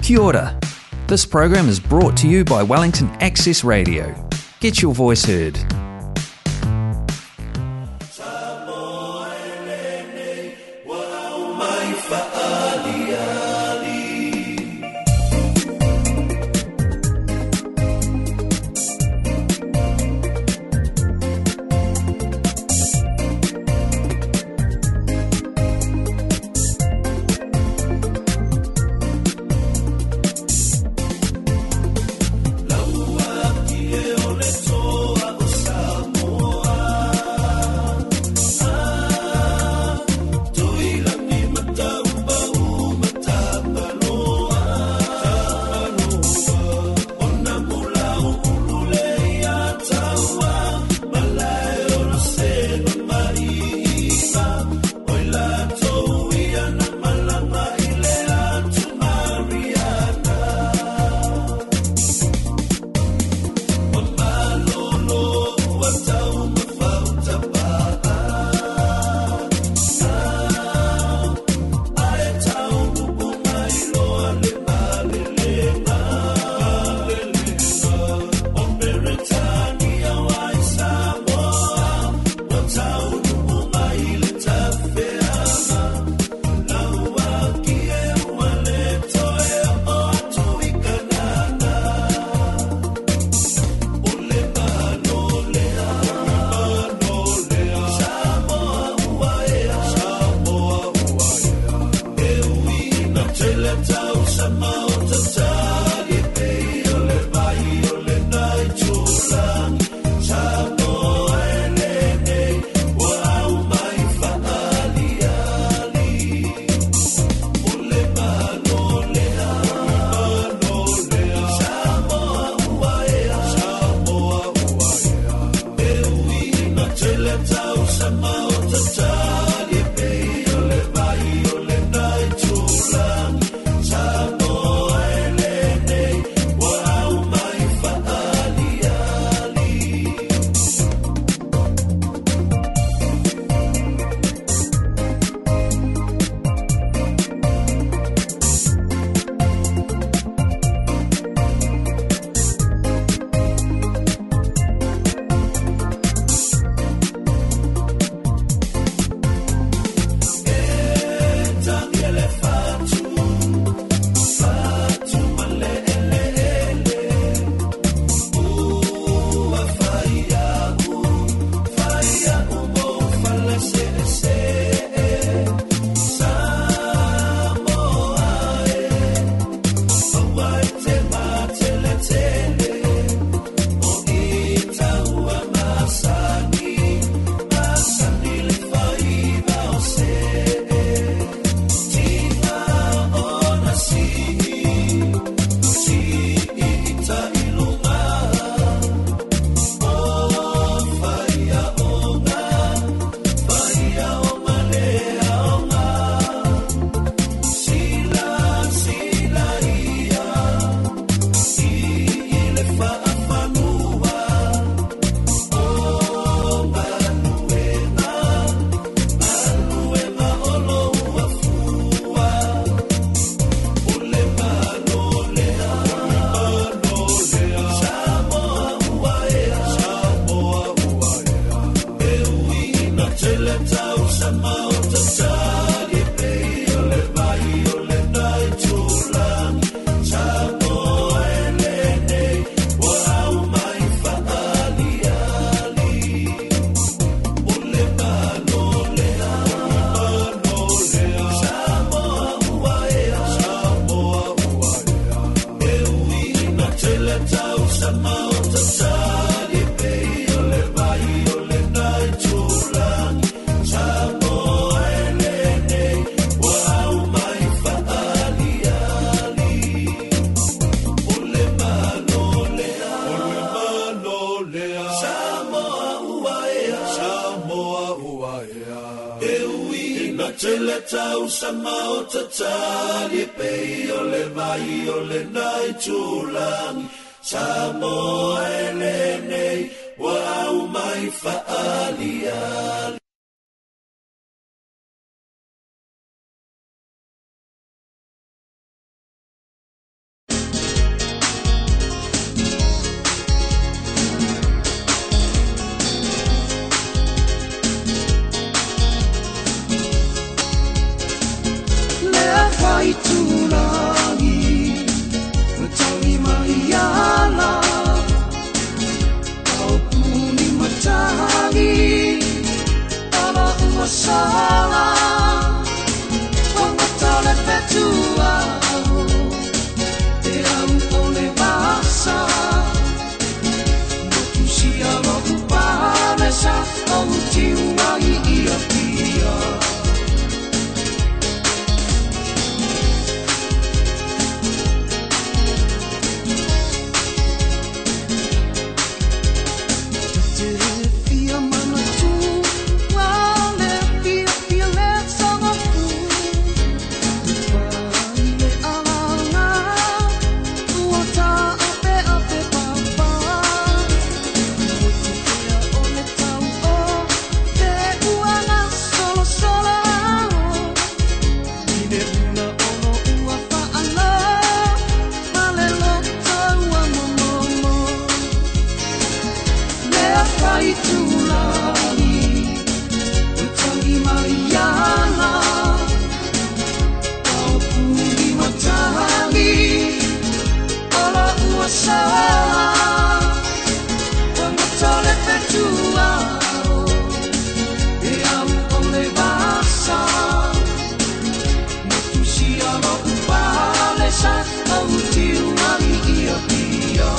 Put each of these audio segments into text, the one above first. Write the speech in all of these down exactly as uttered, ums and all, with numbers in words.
Kia ora. This program is brought to you by Wellington Access Radio. Get your voice heard. Samoa e lenei, ua au mai faaliali. Sala Wangata le fetua Te au o le vasa Motusia lo upalesa O utiua i ia pia. Te fia manatu Wale fia fia le sangafu Pai le alanga Ua ta ape ape papa Motu pea o le tau o Te uanga solo solo I le una ono ua whaala Ma le loto ua momomo Lea whai tūlani O tangi mai ana Au puni matangi Ola ua sala Wangata le fetua E au o le vasa Motusia lo upalesa O utiu ai ia pia.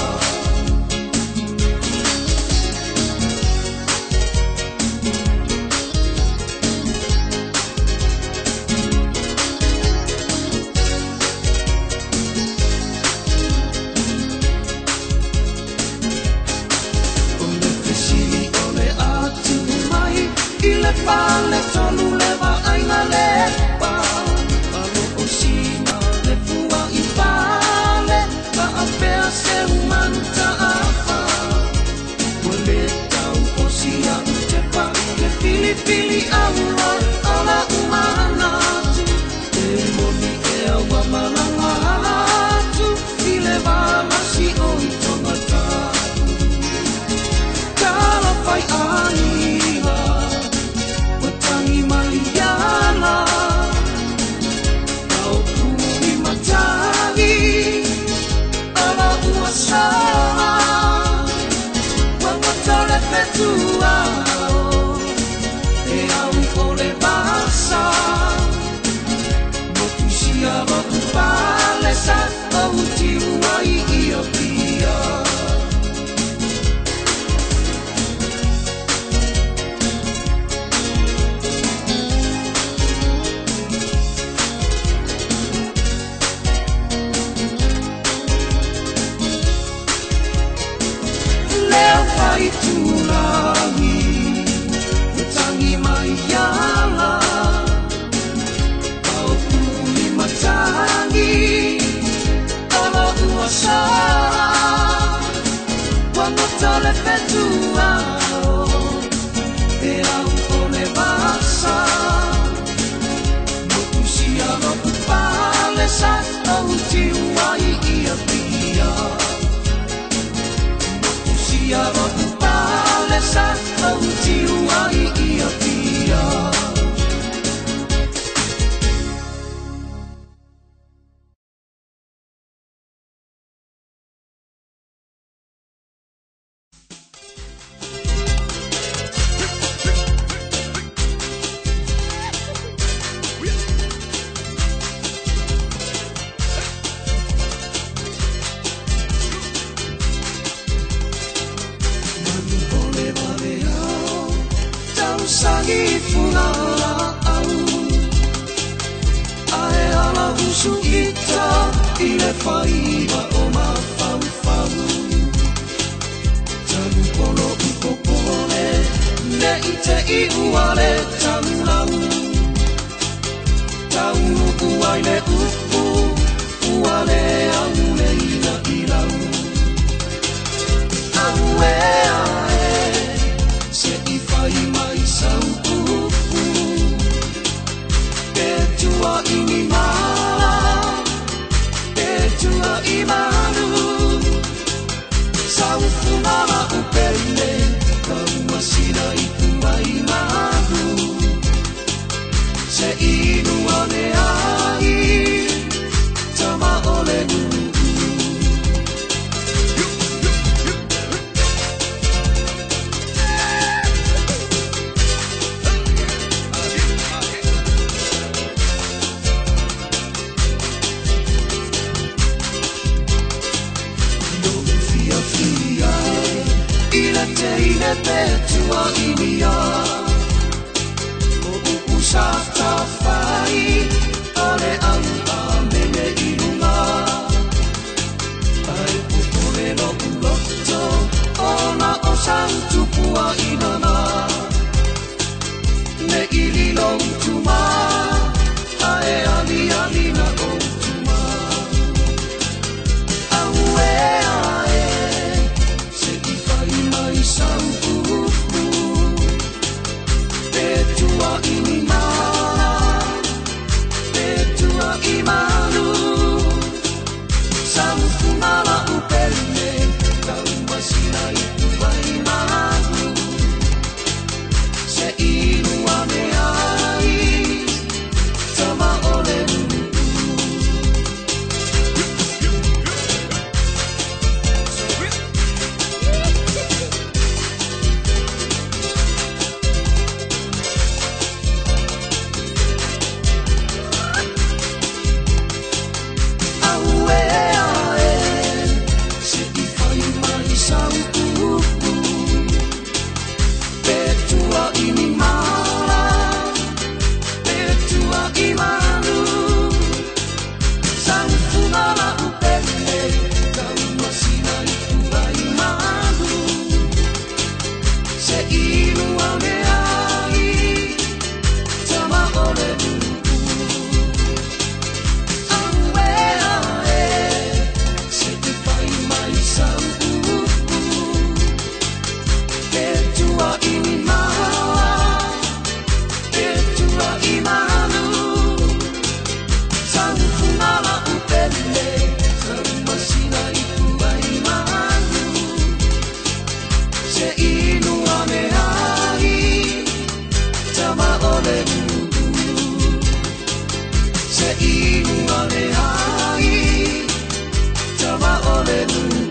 O le fesili o le atu mai I le fale tolu le vaaiga le pa Alo o sina le fua i fale Faapea se umanu ta'afa Ua le tau o sia u tepa Le filifili aua o la umanatu Te moni ea ua malaga atu I le valasi o i tongatapu Talo fai aiga Ua tangi mai ana Au puni matangi Ala ua sala Ua ngata le fetua E au o le vasa Motusia lo upalesa O utiu ai ia pia. Lea whai tūrangi Ua tangi mai ala Au puni matangi Ala ua sala Ua ngata le fetua E au o le vasa Motusia lo upalesa O utiu ai ia pia. Motusia lo upalesa O utiu ai ia pia. Manu ole vale au Tausangi funga au Ae ala usu ita I le whaiva o mafaufau Tanu polo upopole Ne i te i uale taulau Taunu uai le upu Uale au le ina ilau Aue ae Se i whai mai sau upu Te tua i ni mala Te tua i malu Sau funala upele Ka umasina i tua i malu Se inu ane ai Tama o le manuia O upu sa tawhai O le au a mele i lunga Ai pupule lo uloto Ona o sau tupua inana Me ili lo utuma Ae ali ali na o utuma Aue ae Se i whai mai sau upu Te tua i ni mala Te tua i manu Sau fungala upele Tau masina i tuai manu Se inua me ai Tama ole nuu. Aue ae Se i whai mai sau upu Te tua i ni mala Te tua i manu Sau fungala upele Tau masina i tuai manu Se inua me ai Tama ole nuu. Aue ae Se i whai mai sau upu Te tua i ni mala Te tua i manu Sau fungala upele Tau masina i tuai manu Se inua me ai Tama ole nuu. Se inua me ai Tama ole nuu.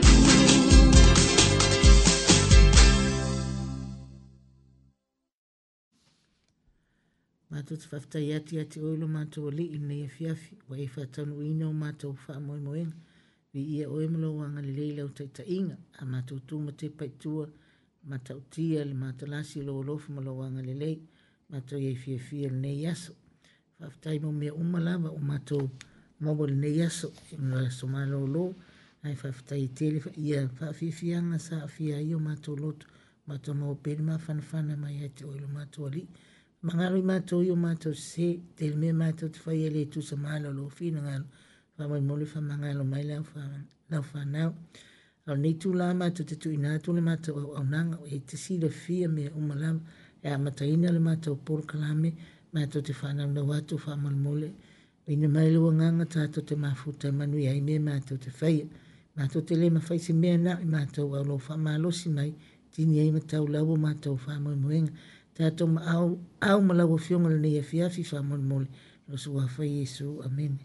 Mātou te whawhitai atu ia te oilo mātou o lii nei afiafi, wa e whātaunuina o mātou whaamoemoenga, vi ia oe malo wanga le leila o taitainga, a mātou tūma te paitua, matautia le mātalasi lo olofu malo wanga le lei, mātou ia fiafia le nei aso. Whawhitai mo mea uma lava o mātou maua le nei aso, e mga aso malolo, ai whawhitai tele ia whaafiafianga sa afia ai o mātou loto, mātou maua pere mawhanawhana mai ai te oilo mātou alii. Mangalo i mātou i o mātou se, te mea mātou te whai ele tusa malo lo whina ngalo, whamai mole whamangalo mai lau lau whanau. Au nei tū la mātou te tui nā tū le mātou au au nanga, e te sila fia mea umalama, e a mataina le mātou poro kalame, mātou te whanau nau atu whamai mole. Ina mai lua nganga tātou te mafuta manu i ai mea mātou te whaia. Mātou te le mawhai se mea nā i mātou au lo whamalosi mai, tini ai matau lau o mātou whamai moenga. Tātou ma au, au malau fionga le nei afiafi whamolmole. Lo sua whai Yesu. Amen.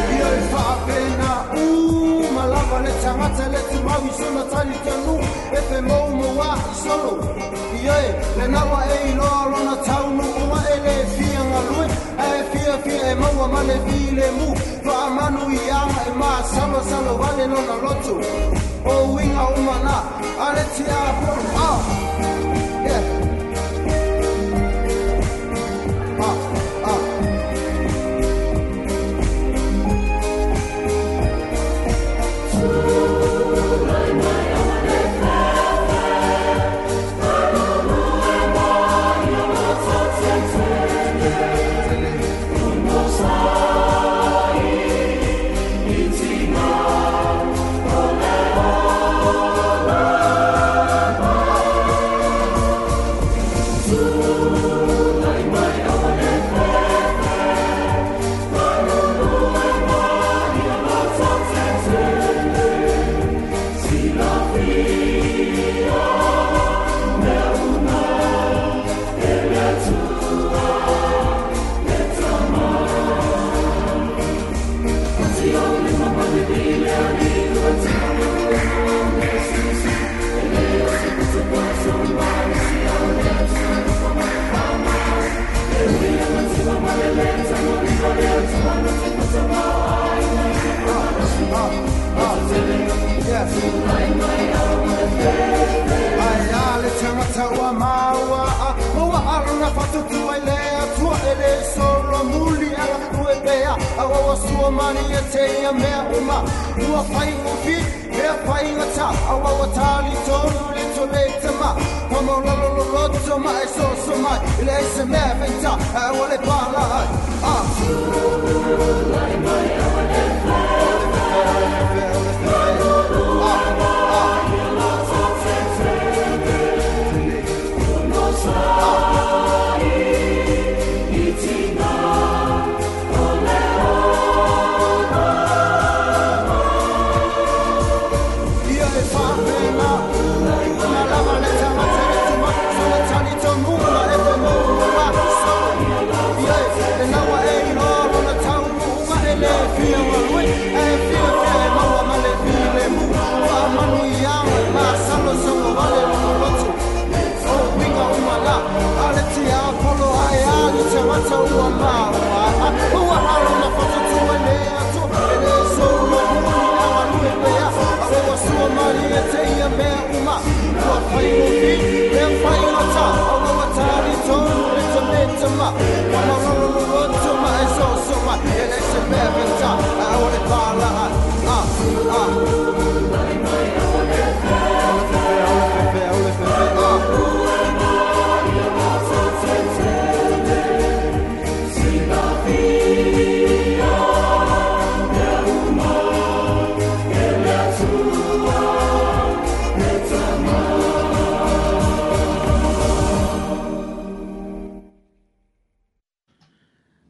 Ia e whaapena u malava le tangata le tumau. mau i sona tali tanu e pe mou moa i solo Ie, le nawa e i loa lona taunu ua e le fia ngalue e fia fia e maua ma le file mu Faamanu i anga e maa salo salo wale lona lotu O winga umana ale tia polo ah Yeah Ah ah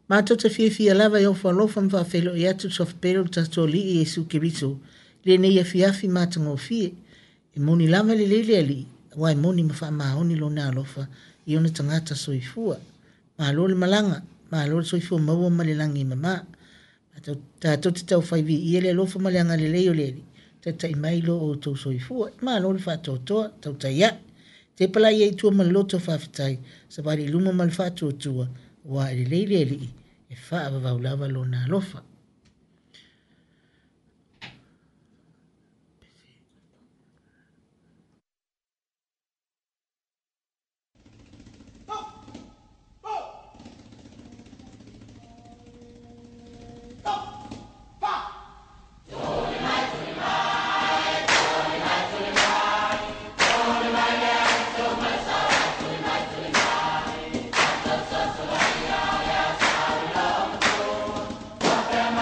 Mātou te whiawhia lava i o whalofa mwawhelo i atu sofpero tato li i Yesu Keriso. Le nei awhiawhi mātangofie. E moni lava le lele ali. Wai moni mawha maoni lo nā alofa i ona tangata soifua. Malo le malanga. Malo le soifua maua ma le langi mama. Tātou te tau whaivi i ele alofa ma le anga le leo le ali. Tata i mai lo o tau soifua. Malo le whaatotoa, tau tai Te pala ia i tua ma loto whawhitai. Sa wari luma ma le whaatotoa. Wa e le lele ali. E whaavavau lava lo nā alofa. Bye.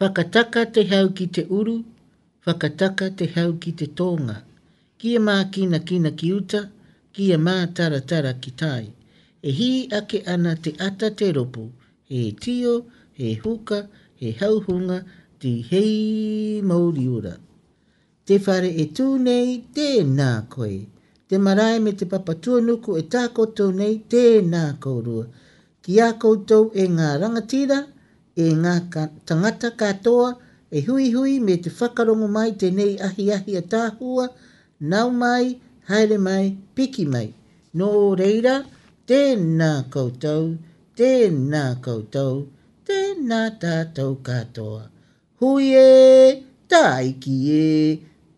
Whakataka te hau ki te uru, whakataka te hau ki te tōnga. Kia mākina kina ki uta, kia mātaratara ki tai. E hī ake ana te ata te ropo, he tio, he huka, he hauhunga, te hei mauriora. Te whare e tū nei, tēnā koe. Te marae me te papatuanuku e tākoto nei, tēnā kōrua. Ki a koutou e ngā rangatira, e ngā tangata katoa, e huihui me te whakarongo mai tēnei ahiahi a tāhua, nau mai, haere mai, piki mai. Nō reira, tēnā koutou, tēnā koutou, tēnā tātou katoa. Hui e, tāiki e,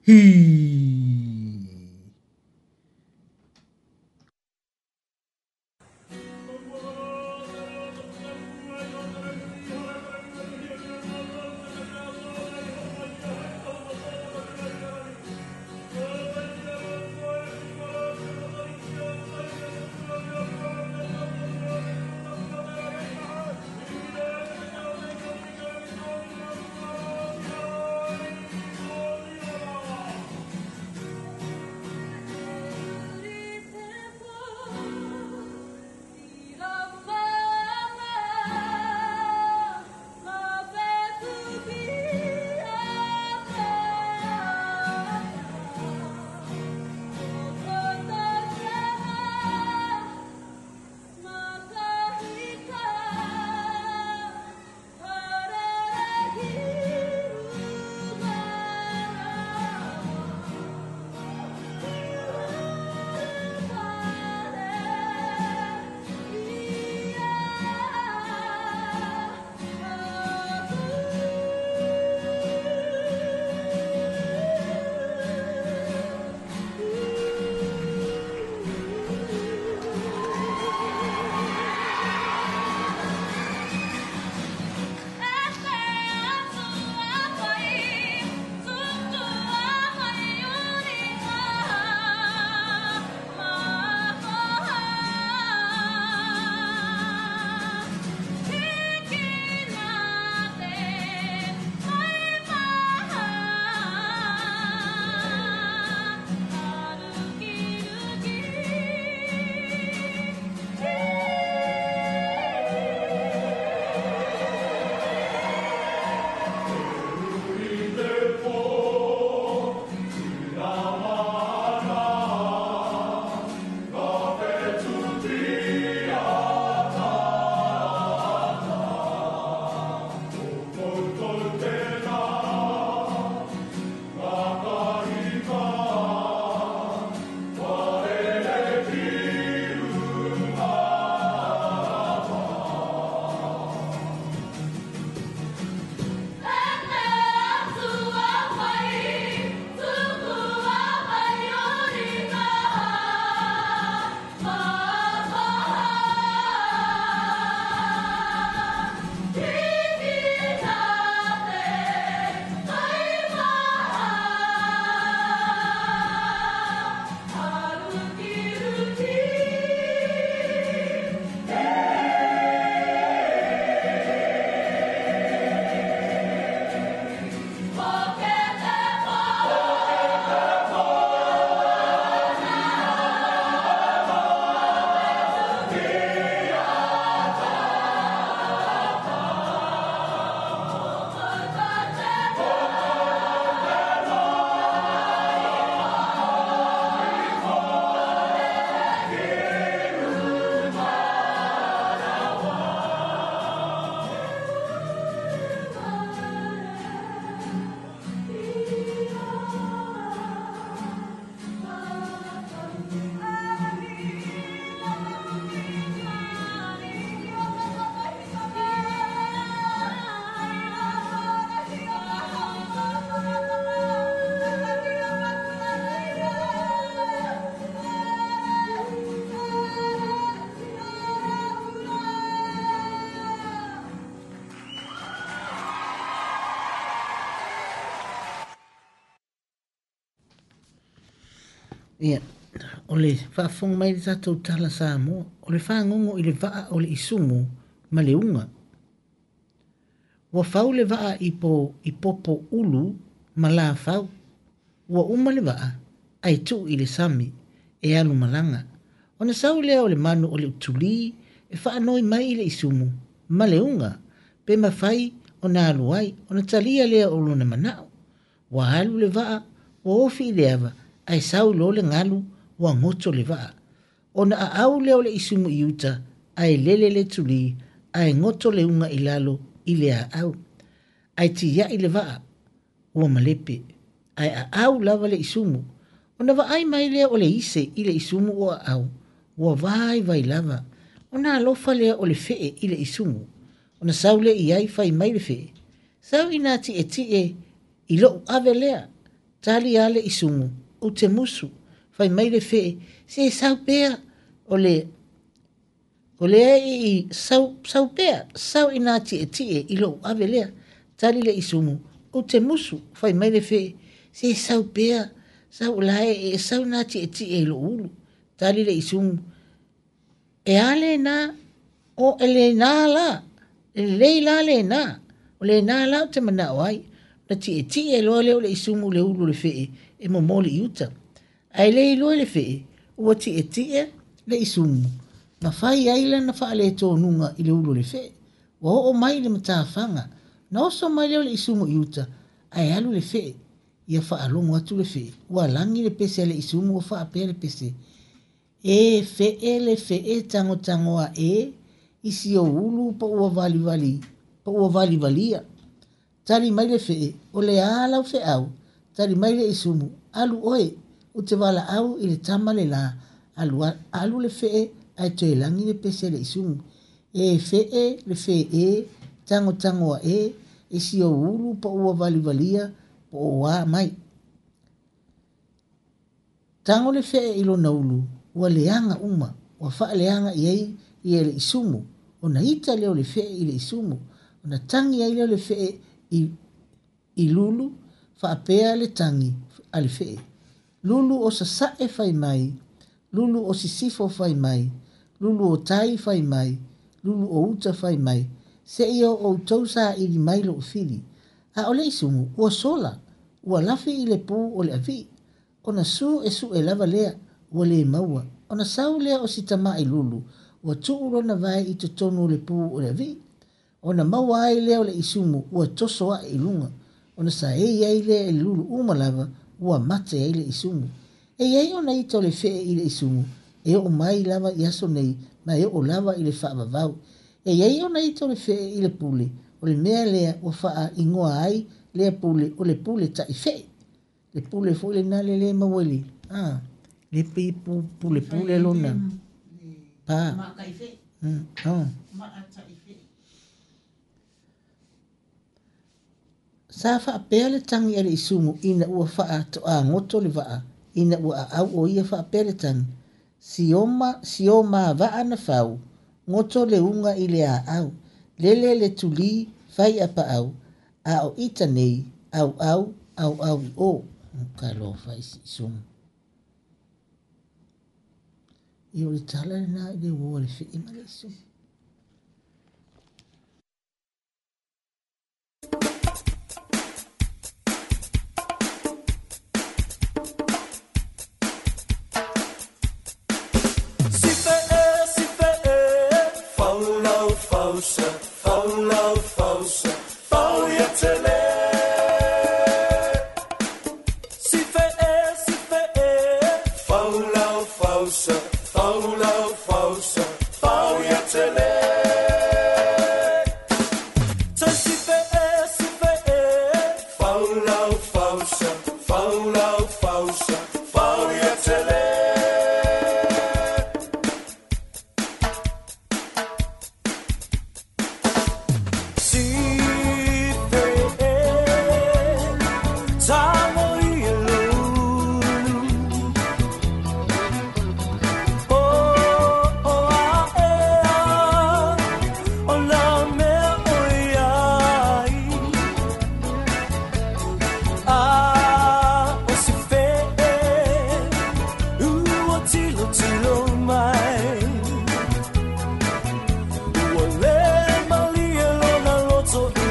hī! Ia, o le faafofoga mai le tatou tala Samoa, o le fagogo i le vaa o le isumu ma le uga. Ua fau le vaa i po i popo ulu ma la fau. Ua uma le vaa ae tuu i le sami e alu malaga. Ona sau lea o le manu o le utulī e faanoi mai i le isumu ma le uga pe mafai ona alu ai ona talia lea o lona manao. Ua alu le vaa ua ofi i le ava ae sau loa le galu ua goto le vaa. Ona aau lea o le isumu i uta ae lele le tulī ae goto le uga i lalo i le aau. Ae tiai le vaa ua malepe ae aau lava le isumu. Ona vaai mai lea o le ise i le isumu o aau ua vaivai lava. Ona alofa lea o le fee i le isumu. Ona sau lea i ai fai mai le fee. Sau ina tietie i lou ave lea. Tali a le isumu ou te musu. Fai mai le fee se sau pea o le o lea i sau sau pea sau ina tietie i lou ave lea. Tali le isumu ou te musu. Fai mai le fee se sau pea sau la e sau na tietie i lou ulu. Tali le isumu e a lena o e lena la e lelei la lena o lena la ou te manao ai. Na tietie loa lea o le isumu le ulu o le fee e momoli i uta. Ae le iloa le fee ua tietie le isumu ma fai ai lana faaletonuga i le ulu o le fee. Ua oo mai le matafaga. Na oso mai lea o le isumu i uta ae alu le fee ia faalogo atu le fee. Ua lagi le pese a le isumu ua faapea le pese. E fee le fee tagotagoa e i si ou ulu po ua valivali po ua valivalia. Tali mai le fee o le a lau feau. Tali mai le isumu alu oe ou te valaau i le tama le la. Alu, alu le fee ae toe lagi le pese le isumu. E fee le fee e tagotagoa e i si ou ulu po ua valivalia po o a mai. Tago le fee i lona ulu ua leaga uma ua faaleaga i ai ia le isumu. Ona ita lea o le fee i le isumu. Ona tagi ai lea o le fee i, i lulu faapea le tagi a le fee. Lulu o sasae fai mai, lulu o sisifo fai mai, lulu o tai fai mai, lulu o uta fai mai, seia o outou saili mai lou fili. A o le isumu ua sola, ua lafi i le pū o le avii. Ona su e sue lava lea ua le maua. Ona sau lea o si tama'i lulu ua tuu lona vae i totonu o le pū o le avii. Ona maua ai lea o le isumu ua toso ae i luga. Ona saei ai lea i le lulu uma lava ua mate ai le isumu. E iai ona ita o le fee i le isumu e oo mai lava i aso nei ma e oo lava i le faavavau. E iai ona ita o le fee i le pule o le mea lea ua faaigoa ai lea pule o le pule taifee. Le pule foi lena le le maua i le ah le pei pule pule lona pa mm oh. Sa faapea le tagi a le isumu ina ua faatoagoto le vaa ina ua aau o ia faapea le tagi. Sioma sioma vaa na fau goto le uga i le aau. Lele le tulī fai a paau a o ita nei au au au au i o. Talofa i si isumu. Ia o le tala lena i le uō a le fee ma le isumu.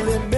Le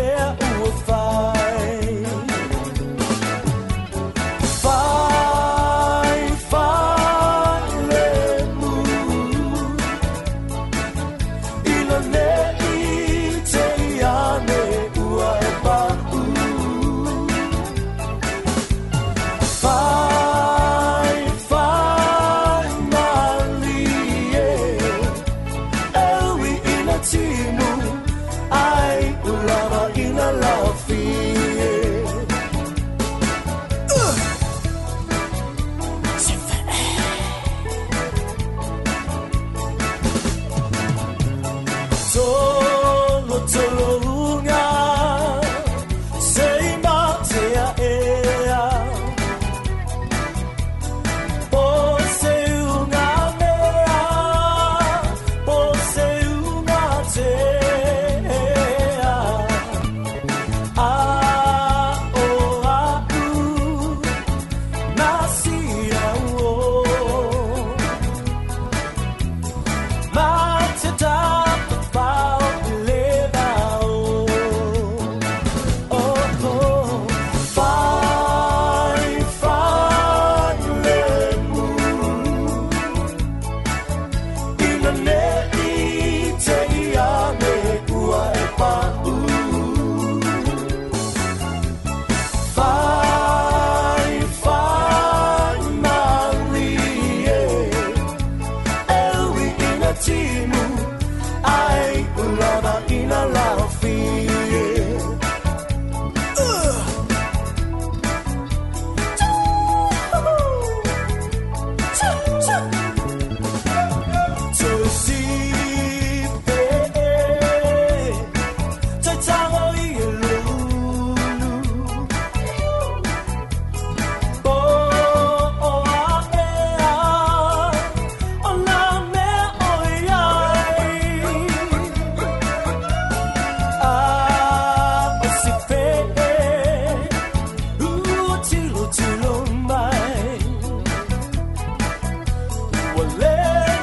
Ua le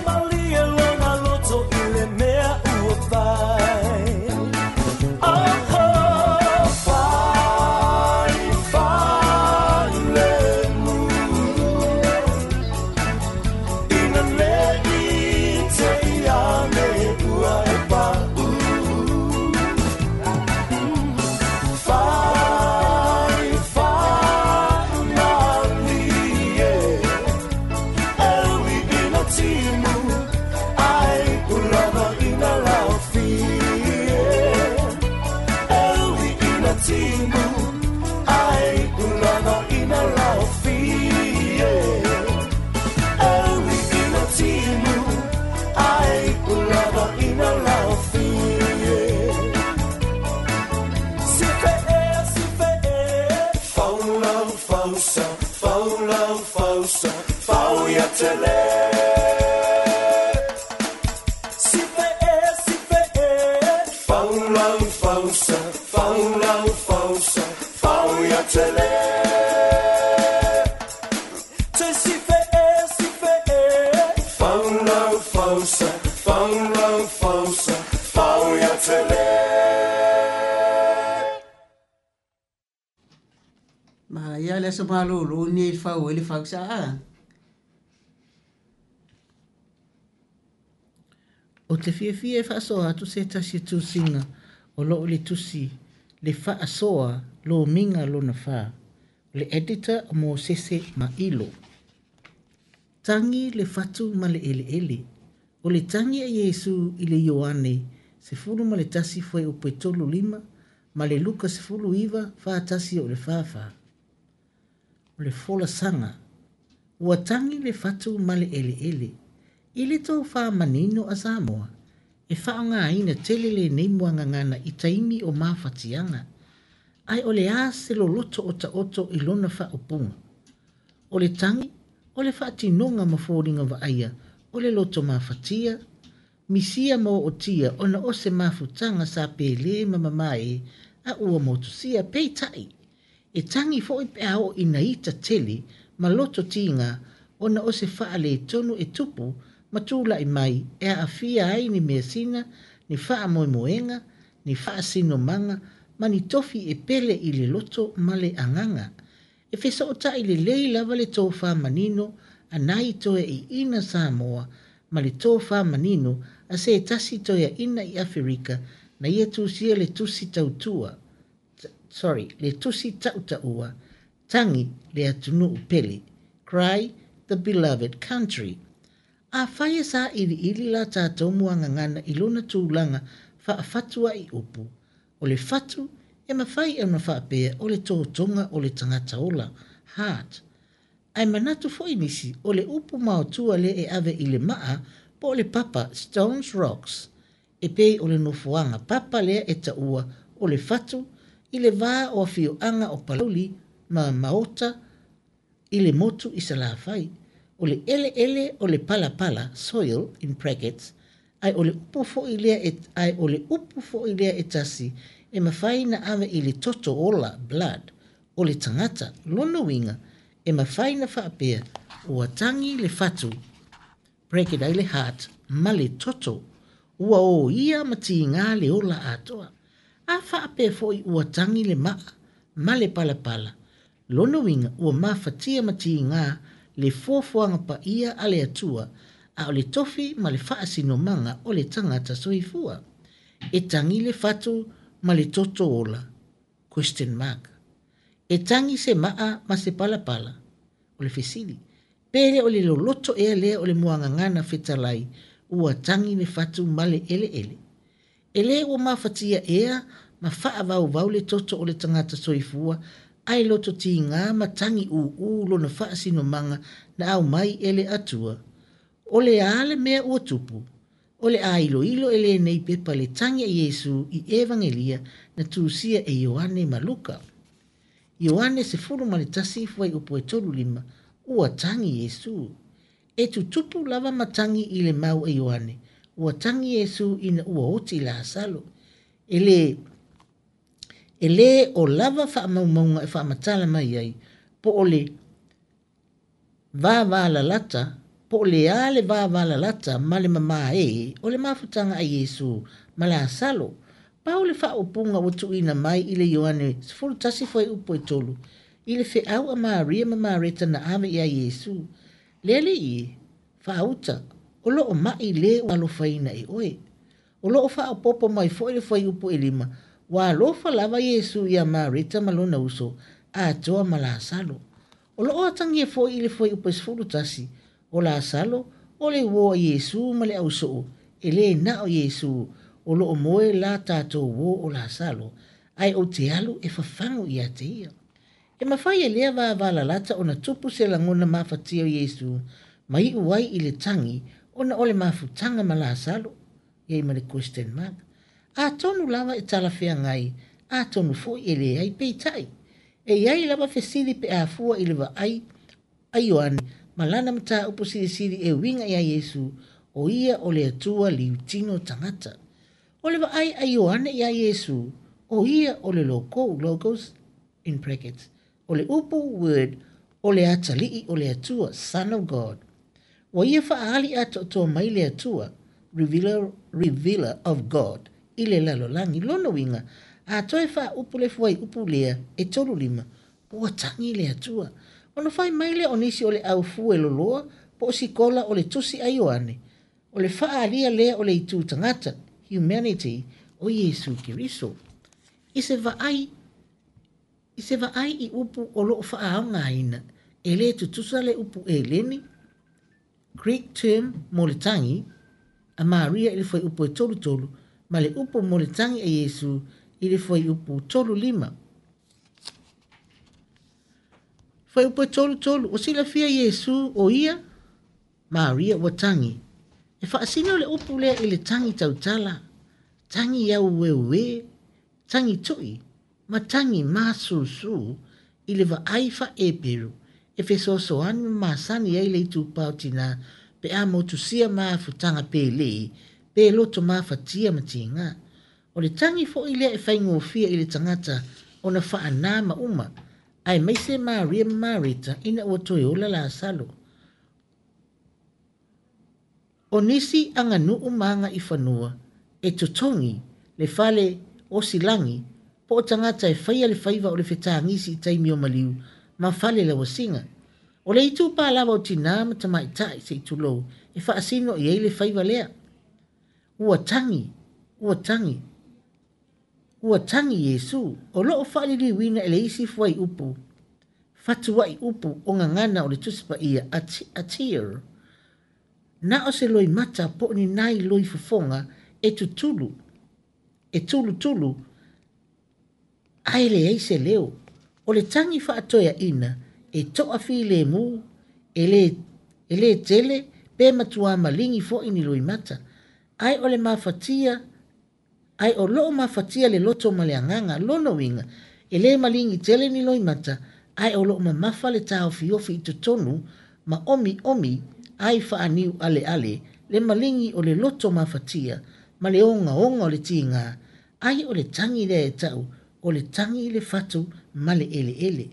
malie lona loto i le mea ua fai. Oh, oh, fai, fai le mu. Ina le i te iane ua e pa'u. Fai, fai malie. E ui ina timu, ai ulava ina laofie. E ui ina timu, ai ulava ina laofie. E ui ina timu, ai ulava ina laofie. Si fe e, si fe e. Faulau fausa, faulau fausa, fau ia tele. Si fe e, si fe e. Faulau fausa, faulau fausa, fau ia tele. Te si fe e, si fe e. Faulau fausa, faulau fausa, fau ia tele. Ma ia le aso malōlō nei i fau ai le fausa a. O te fiafia e faasoa atu se tasi tusiga o loo i le tusi le faasoa lomiga lona fa. O le editor o Mosese Mailo. Tagi le fatu ma le eleele. O le tagi a Iesu i le Ioane sefulu ma le tasi fuaiupu e tolu lima ma le Luka sefulu iva fa tasi o le fa fa. O le folasaga. Ua tagi le fatu ma le eleele. I le tofā manino a Samoa, e faaaogāina tele lenei muagagana i taimi o mafatiaga. Ae o le a se loloto o taoto i lona faaupuga. O le tagi, o le faatinoga ma foliga vaaia, o le loto mafatia, misia ma ootia ona o se mafutaga sa pelē ma mamae a ua motusia peitai. E tagi foi pe a oo ina ita tele ma loto tiga ona o se faaletonu e tupu ma tula'i mai e aafia ai ni measina, ni faamoemoega, ni faasinomaga ma ni tofi e pele i le loto ma le agaga. E fesoota'i lelei lava le tofā manino a nai toeaiina Samoa ma le tofā manino a se tasi toeaina i Aferika na ia tusia le tusi tautua, sorry, le tusi tautaua, tagi le atunuu pele, Cry the Beloved Country. Afai e sailiili la tatou muagagana i lona tulaga faafatua'i upu, o le fatu e mafai ona faapea o le totoga o le tagata ola, heart. Ae manatu foi nisi o le upu maotua lea e ave i le maa po o le papa, stones rocks, e pei o le nofoaga papa lea e taua o le fatu i le va o afioaga o Palauli ma Maota i le motu i Salafai. O le eleele o le palapala, soil in brackets, ae o le upu foi lea e, ae o le upu foi lea e tasi e mafai na ave i le toto ola, blood, o le tagata. Lona uiga e mafai na faapea ua tagi le fatu, bracket ai le heart, ma le toto, ua o ia ma tigā le ola atoa. A faapea foi ua tagi le maa ma le palapala. Lona uiga ua mafatia ma tigā le fuafuaga paia a le Atua, a o le tofi ma le faasinomaga o le tagata soifua. E tagi le fatu ma le toto ola, question mark. E tagi se maa ma se palapala, o le fesili. Pe le o le loloto ea lea o le muagagana fetalai, ua tagi le fatu ma le eleele. E lē ua mafatia ea ma faavauvau le toto o le tagata soifua, ae loto tigā ma tagi ūū lona faasinomaga na aumai e le Atua. O le a le mea ua tupu, o le a iloilo e lenei pepa le tagi a Iesu i Evagelia na tusia e Ioane ma Luka. Ioane sefulu ma le tasi fuaiupu e tolu lima, ua tagi Iesu. E tutupu lava ma tagi i le mau a Ioane, ua tagi Iesu ina ua oti Lasalo. E le E lē o lava faamaumauga e faamatala mai ai, po o le vavalalata Po o le a le vavalalata ma le mamae o le mafutaga a Iesu ma Lasalo. Pau le faaupuga ua tuuina mai i le Ioane sefulu tasi fuaiupu e tolu, i le feau a Maria ma Mareta na ave iā Iesu, Le Alii e, faauta, o lo o maʻi le ua alofaina e oe. O lo o faaopoopo mai foi le fuaiupu ʻelima, ua alofa lava Iesu iā Mareta ma lona uso, atoa ma Lasalo. O lo o atagia foi i le fuaiupu e sefulu tasi, o Lasalo, o le uō a Iesu ma le ausoo, e lē na o Iesu, o lo o moe la tatou uō o Lasalo, ae ou te alu e fafagu ia te ia. E mafai e lea vavalalata ona tupu se lagona mafatia o Iesu ma iu ai i le tagi ona o le mafutaga ma Lasalo? I ai ma le question mark. Atonu lava e talafeagai, atonu foi e leai, peitai, e i ai lava fesili pe a fua i le vaai a Ioane ma lana mataupu silisili e uiga iā Iesu, o ia o le Atua liutino tagata. O le vaai a Ioane iā Iesu, o ia o le Lokou, Logos, in brackets, o le upu, word, o le Atalii o le Atua, Son of God. Ua ia faaali atoatoa mai le Atua, revealer, revealer of God, i le lalolagi. Lona uiga, a toe faaupu le fuaiupu lea e tolu lima, ua tagi le Atua. Ona fai mai lea o nisi o le au fueloloa po o sikola o le Tusi a Ioane, o le faaalia lea o le itu tagata, humanity, o Iesu Keriso. I se vaai, i se vaai i upu o lo o faaaogaina, e lē tutusa le upu Eleni, Greek term, mo le tagi a Maria i le fuaiupu e tolu tolu, ma le upu mo le tagi a Iesu i le fuaiupu tolu lima. Fuaiupu e tolu tolu, ua silafia Iesu o ia, Maria ua tagi. E faasino le upu lea i le tagi tautala, tagi aueuē, tagi toʻi, ma tagi masusū i le vaai faa-Eperu e fesoasoani ma masani ai le itupa o tinā pe a motusia mafutaga pelē pe loto mafatia ma tigā. O le tagi foi lea e faigofie i le tagata ona faanā ma uma, aemaise Maria ma Mareta ina ua toe ola Lasalo. O nisi aganuu ma agaifanua e totogi le fale osilagi po o tagata e faia le faiva o le fetagisi i taimi o maliu ma fale lauasiga. O le itupa lava o tinā ma tamaitai se i tulou e faasino i ai le faiva lea. Ua tagi, ua tagi, ua tagi Iesu, o lo o faaliliuina e le isi fuaiupu, fatuai upu o gagana o le Tusi Paia a tear. Na o se loimata po o ni nai loi fofoga e tutulu, e tulutulu, ae leai se leo. O le tagi faatoeaina e toafilemu, e lē, e lē tele pe matuā maligi foi ni loimata. Ae o le mafatia, ae o loo mafatia le loto ma le agaga. Lona uiga, e lē maligi tele ni loimata, ae o loo mamafa le taofiofi i totonu ma omiomi ai faaniu aleale le maligi o le loto mafatia ma le ogaoga o le tigā, ai o le tagi lea e tau o le tagi i le fatu ma le eleele.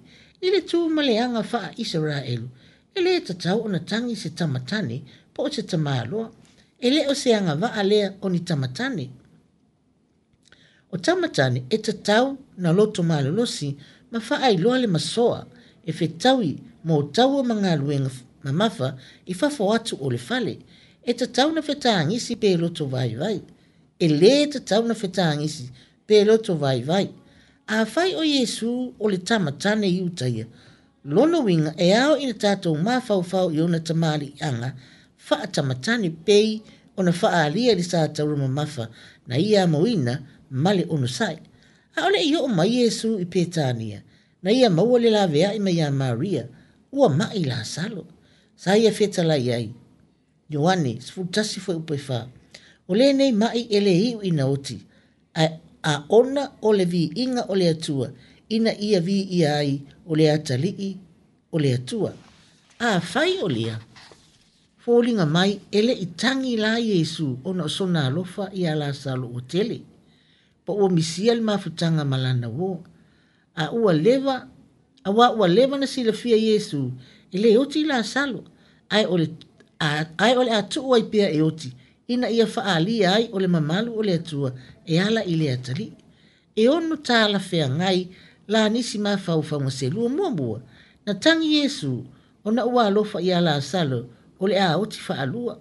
I le tu ma le aga faa-Isaraelu, e lē tatau ona tagi se tamatane po o se tamāloa. E lē o se agavaa lea o ni tamatane. O tamatane e tatau na loto malolosi ma faailoa le masoa e fetaui mo taua ma galuega mamafa i fafo atu o le fale. E tatau na fetagisi pe loto vaivai. E lē tatau na fetagisi pe loto vaivai. Afai o Iesu o le tamatane Iutaia, lona uiga e ao ina tatou mafaufau i ona tamaliiaga faatamatane pei ona faaalia i le sataura mamafa na ia amoina ma le onosai. A o le i oo mai Iesu i Petania, na ia maua le laveai mai iā Maria, ua maʻi Lasalo. Sa ia fetalai ai, Ioane sefulu tasi fuaiupu e fa, o lenei maʻi e lē iu ina oti, ae a ona o le viiga o le Atua, ina ia viia ai o le Atalii o le Atua. Afai o lea, foliga mai e leʻi tagi la Iesu ona o sona alofa iā Lasalo ua tele, po ua misia le mafutaga ma lana uō. A ua leva, auā ua leva na silafia Iesu e lē oti Lasalo, ae o le, Ae o le a tuu ai pea e oti, ina ia faaalia ai o le mamalu o le Atua e ala i le atalii. E ono talafeagai la nisi mafaufauga selua. Muamua, na tagi Iesu ona ua alofa ia Lasalo o le a oti faalua.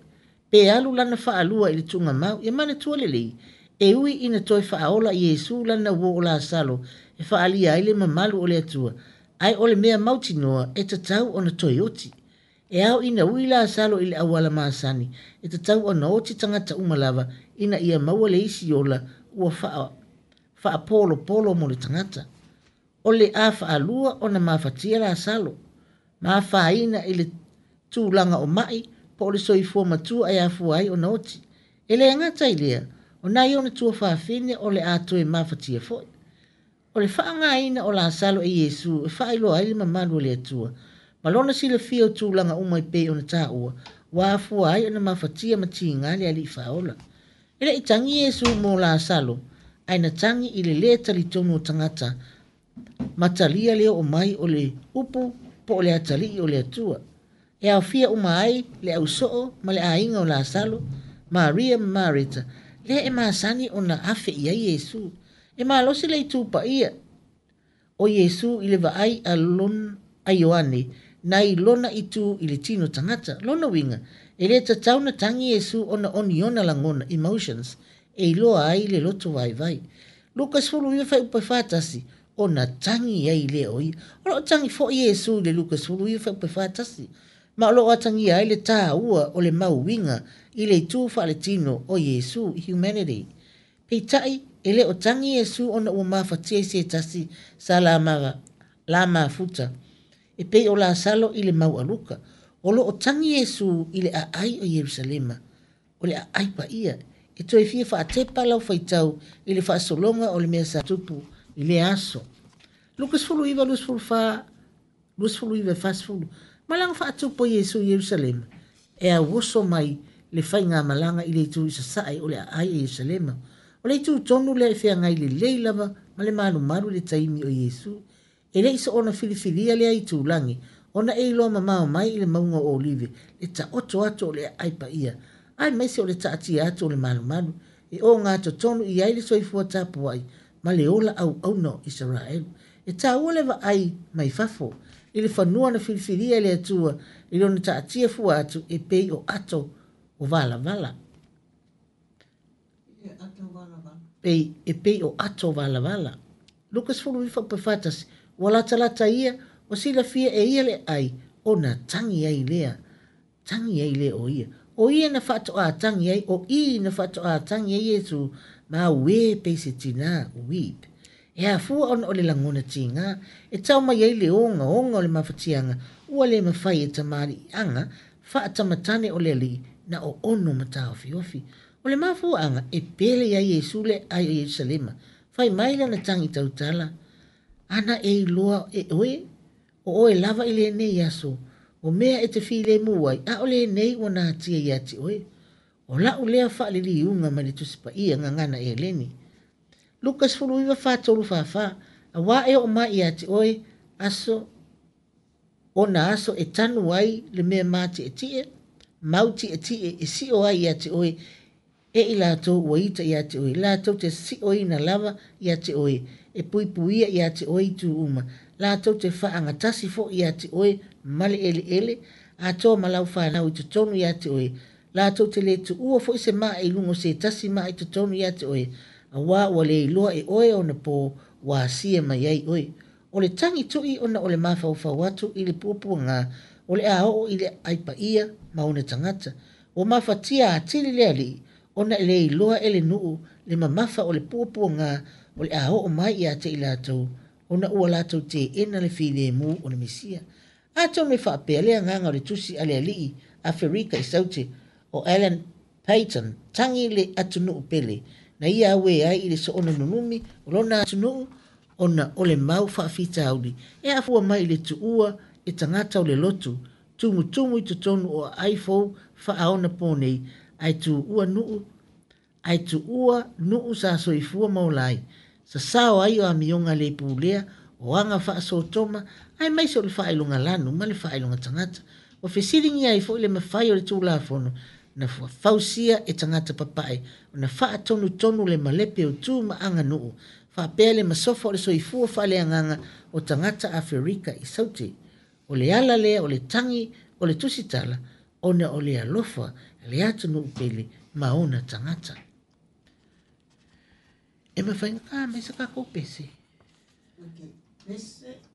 Pe alu lana faalua i le tuugamau, ia manatua lelei, e ui ina toe faaola Iesu lana uo o Lasalo e faaalia ai le mamalu o le Atua, ae o le mea mautinoa e tatau ona toe oti. E ao ina ui Lasalo i le auala masani, e tatau ona oti tagata uma lava ina ia maua le isi ola ua faa, faapolopolo mo le tagata. O le a faalua ona mafatia Lasalo, mafaina i le tulaga o mai po o le soifua matua e afua ai ona oti. E le gata i lea, o nai ona tuafafine o le a toe mafatia foi. O le faaaogaina o Lasalo e Iesu e faailoa ai le mamalu o le Atua, ma lona silafia o tulaga uma e pei ona taua, ua afua ai ona mafatia ma tiga le alii faaola. E le i tagi Iesu mo Lasalo, ae na tagi i le lē talitonu o tagata, ma talia le oo mai o le upu po o le atalii o le Atua. E aofia uma ai le ausoo ma le aiga o Lasalo, Maria ma Mareta, lea e masani ona afe i ai Iesu. E malosi le itu paia o Iesu i le vaai a lon a Ioane nai lona itu i le tino tagata. Lona uiga, e le tatau ona tagi Iesu ona o ni ona lagona, emotions, e iloa ai le loto vaivai. Luka sefulu iva fuaiupu e fa tasi, ona tagi ai lea o ia. O loo tagi foi Iesu i le Luka sefulu iva fuaiupu e fa tasi, ma o loo atagia ai le taua o le mauiga i le itu faaletino o Iesu, humanity. Peitai, e le o tagi Iesu ona ua mafatia i se tasi sa la, ma, la mafuta e pei o Lasalo i le mau a Luka. O loo tagi Iesu i le aai o Ierusalema, o le aai paia. E toe fia faatepa lau faitau i le faasologa o le mea sa tupu i le aso. Luka sefulu iva, luasefulu fa, luasefulu iva, fasefulu. Malaga faatupu o Iesu i Ierusalema, e auoso mai le faigamalaga i le itu i sasae o le aai o Ierusalema. O le itu tonu lea e feagai lelei lava ma le malumalu i le taimi o Iesu. E le i soona filifilia lea itulagi, ona e iloa mamao mai i le mauga o Olive le taoto atu o le aai paia, aemaise o le taatia atu o le malumalu, e ogatotonu i ai le soifua tapuai ma le ola auauna o Isaraelu. E taua le vaai mai fafo i le fanua na filifilia e le Atua i lona taatia fua atu e pei o ato o valavala. Pei, e pei o ato valavala. Luka sefulu iva fa tasi, ua latalata ia, ua silafia e ia le ai, ona tagi ai lea. Tagi ai lea o ia. O ia na faatoa tagi ai, o i na faatoa tagi ai Iesu, ma auē pei se tinā, weep. E afua ona o le lagona tiga, e tau mai ai le ogaoga o le mafatiaga, ua le mafai e tamaliiaga faatamatane o le alii na oono ma taofiofi. O le mafuaaga e pele iā Iesu le aai o Ierusalema, fai mai lana tagi tautala, ana e iloa e oe, o oe lava i lenei aso, o mea e te filemu ai, a o lenei ua natia ia te oe. O lau lea faaliliuga mai le Tusi Paia Gagana Eleni. Luka sefulu iva fa tolu fa fa, auā e oo mai ia te oe aso, ona aso e tanu ai le mea matietie, mau tietie e sio ai ia te oe, e i latou ua ita ia te oe, latou te sioina lava ia te oe, e puipuia ia te oe i itu uma, latou te faagatasi foi ia te oe ma le eleele, atoa ma lau fanau i totonu ia te oe, latou te le tuua foi se maa i luga o se tasi maa i totonu ia te oe, auā ua le iloa e oe ona pō ua asia mai ai oe. O le tagi tui ona o le mafaufau atu i le puapuaga o le a oo i le aai paia ma ona tagata. Ua mafatia atili le alii ona e le iloa e le nuu le mamafa o le puapuaga o le a oo mai ia te i latou, ona ua latou teena le filemu o le Mesia. Atonu e faapea le agaga o le tusi a le alii Aferika i Saute o Alan Payton, tagi le atunuu pele, na ia auē ai i le soona nunumi o lona atunuu ona o le mau faafitauli e afua mai i le tuua e tagata o le lotu tumutumu i totonu o aai fou faaonaponei, ae tuua nuu ae tuua nuu sa soifua ma ola ai, sasao ai o amioga le pulea o aga faasotoma, aemaise o le faailoga lanu ma le faailoga tagata. Ua fesiligia ai foi le mafai o le Tulafono na fausia e tagata papae ona faatonutonu le malepe o tu ma aganuu faapea le masofa o le soifua faaleagaga o tagata Aferika i Saute. O le ala lea o le tagi o le tusitala ona o le alofa le atunuu pele ma ona tagata. E mafai ona mai sa tatou pese. Okay. Pese.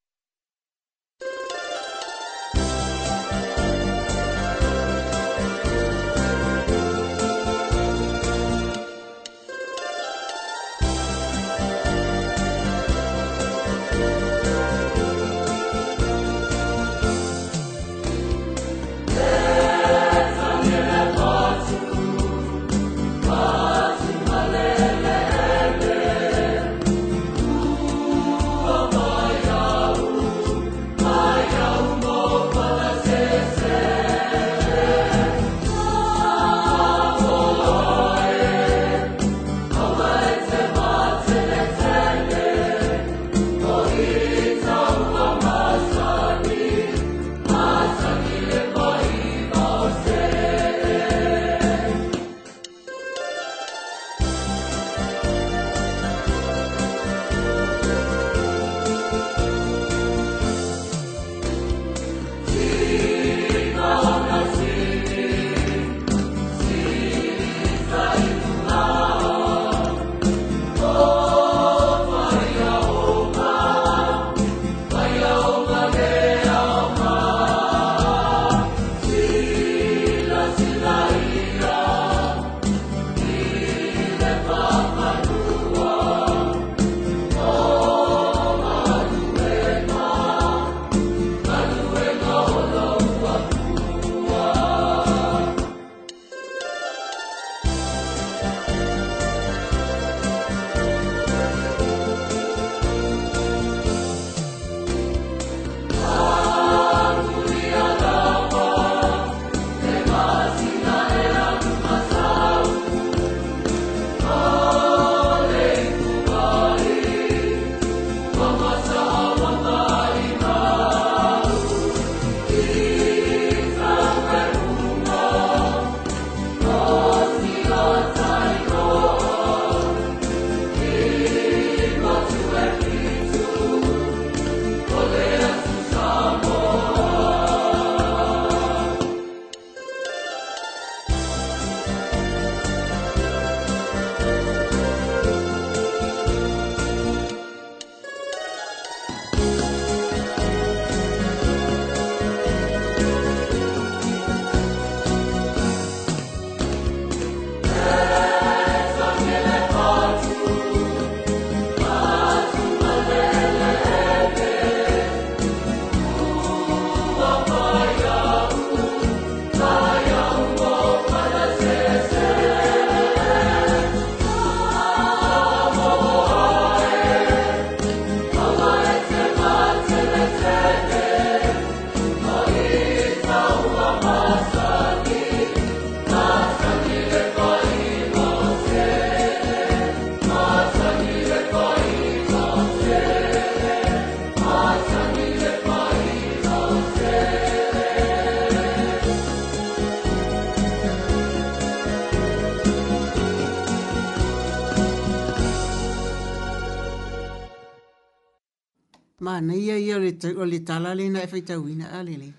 Manaia ia o le, o le tala lena e faitauina a lele.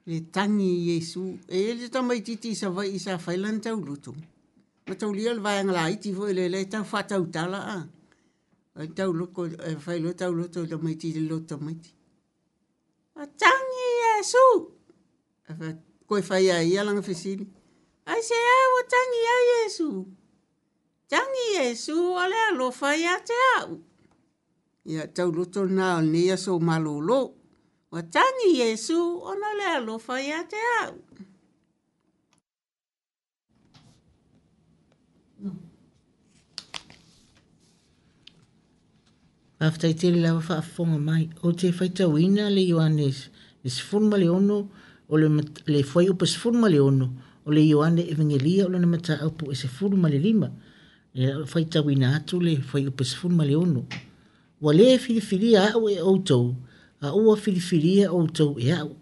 Le tangi Iesu. E le tamaititi i Savaii sa fai lana tauloto. Ma taulia le vaega laiti foi le le tau faatautala a. Ai tauloko e fai loa tauloto i tamaiti i le loto tamaiti. A tangi Iesu. E fa koe fai a ia lana fesili. Ai se a ua tangi ai Iesu. Tangi Iesu o le alofa ia te au. Ia tauloto na o lenei aso malōlō. Ua tangi Iesu ona le alofa ia te au. Faafetai tele lava faafofoga mai. Ou te faitauina le Ioane le sefulu ma le ono o le, le fuaiupu sefulu ma le ono o le Ioane Evangelia o lona mataupu e sefulu ma le lima. Le faitauina atu le fuaiupu sefulu ma le ono. Ua lē filifilia a'u e outou, a ua filifilia outou e a'u.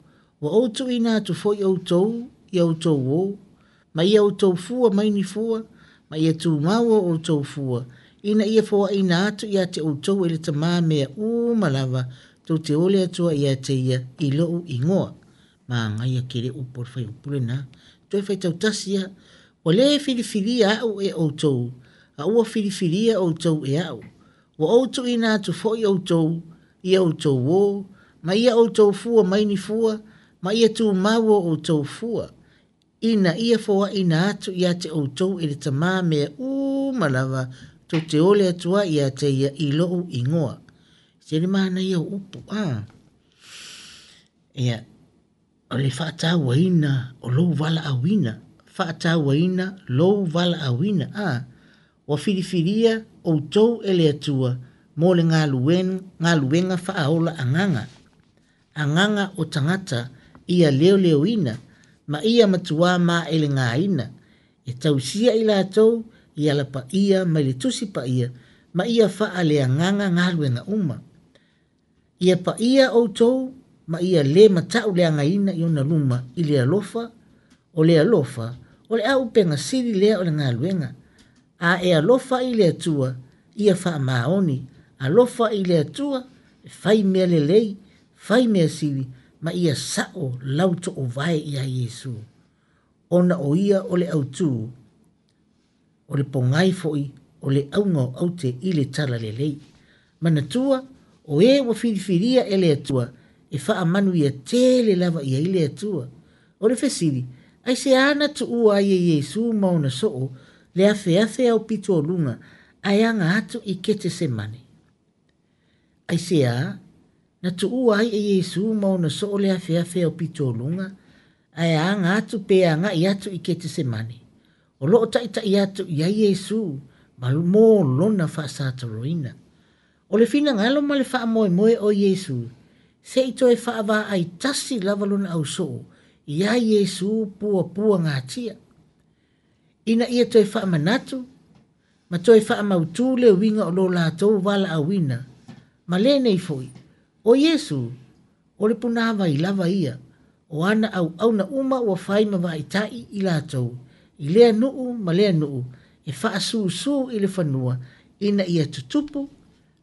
Ua ou tuuina atu foi outou ia outou ō, ma ia outou fua mai ni fua, ma ia tumau o outou fua, ina ia foaina atu ia te outou e le Tamā mea uma lava, tou te ole atua ia te ia i lou igoa. Manaia tele upu o le fuaiupu lenā. Toe faitautasi lava. Ua lē filifilia a'u e outou, a ua filifilia outou e a'u. Ua ou tuuina atu foi outou ia outou ō, ma ia outou fua mai ni fua, ma ia tumau o outou fua, ina ia foaina atu ia te outou e le Tamā mea uma lava, tou te ole atu ai ia te ia i lou igoa. Se le manaia o upu, a. Ia, o le faatauaina o lou valaauina, faatauaina lou valaauina, a. Ua filifilia outou e le Atua mo le galuega faaola agaga. Agaga o tagata ia leoleoina ma ia matuā maelegaina, e tausia i latou i ala paia mai le Tusi Paia ma ia faaleagaga galuega uma. Ia paia outou ma ia lē matauleagaina i ona luma i le alofa, o le alofa, o le auupega sili lea o le galuega. A e alofa i le Atua, ia faamaoni, alofa i le Atua, e fai mea lelei, fai mea sili, ma ia sa'o lau toovae iā Iesu. Ona o ia o le autū, o le pogai foi o le auga o aute i le talalelei. Manatua, o e ua filifilia e le Atua, e faamanuia tele lava i ai le Atua. O le fesili, aisea na tuua ai e Iesu ma ona soo le afeafe aupito o luga, ae aga atu i Ketesemane? Aisea na tuua ai e Iesu ma ona soo le afeafe aupito o luga, ae aga atu pe agai atu i Ketesemane? O loo taʻitaʻi atu i ai Iesu ma mo lona faasatoloina. O le finagalo ma le faamoemoe o Iesu, se i toe faavaai tasi lava lona ausoo iā Iesu puapuagatia, ina ia toe faamanatu ma toe faamautū le uiga o lo latou valaauina. Ma lenei foi, o Iesu, o le punāvai lava ia, o ana auauna uma ua fai ma vaaitaʻi i latou, i lea nuu ma lea nuu, e faasūsū i le fanua, ina ia tutupu,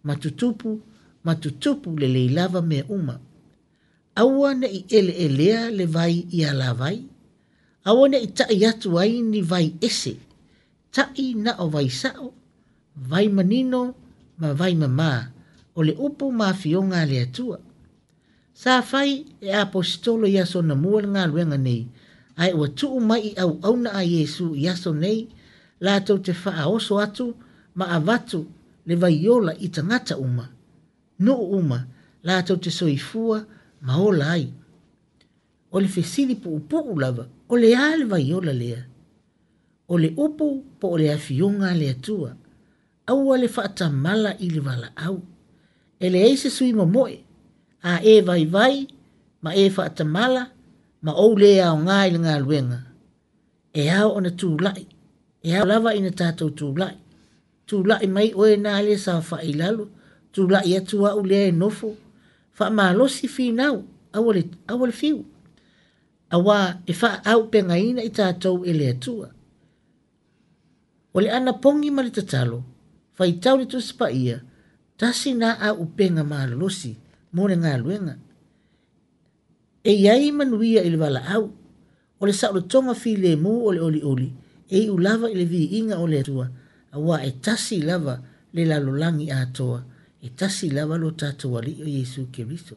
ma tutupu, ma tutupu lelei lava mea uma. Aua neʻi eleelea le vai i alavai, aua neʻi taʻi atu ai ni vai ese, taʻi na o vai saʻo, vai manino ma vai mamā, o le upu ma afioga a le Atua. Sa fai e apositolo i aso anamua le galuega nei, ae ua tuu mai i auauna a Iesu i aso nei, latou te faaoso atu ma avatu le vaiola i tagata uma, nuu uma, latou te soifua ma ola ai. O le fesili puupuu lava, o le a le vaiola lea? O le upu po o le afioga a le Atua. Aua le faatamala i le valaau. E leai se sui momoe, a e vaivai ma e faatamala ma ou lē aogā i le galuega. E ao ona tulai, e ao lava ina tatou tulai. Tulai mai oe nā lea saofaʻi i lalo, tulai atu a'u lea e nofo, faamalosi finau, aua le, aua le fiu. Auā e faaaupegaina i tatou e le Atua. O le anapogi ma le tatalo, faitau le Tusi Paia, tasi na auupega malolosi mo le galuega. E i ai manuia i le valaau, o le saolotoga filemu o le olioli, e iu lava i le viiga o le Atua, auā e tasi lava le lalolagi atoa, e tasi lava lo tatou Alii o Iesu Keriso.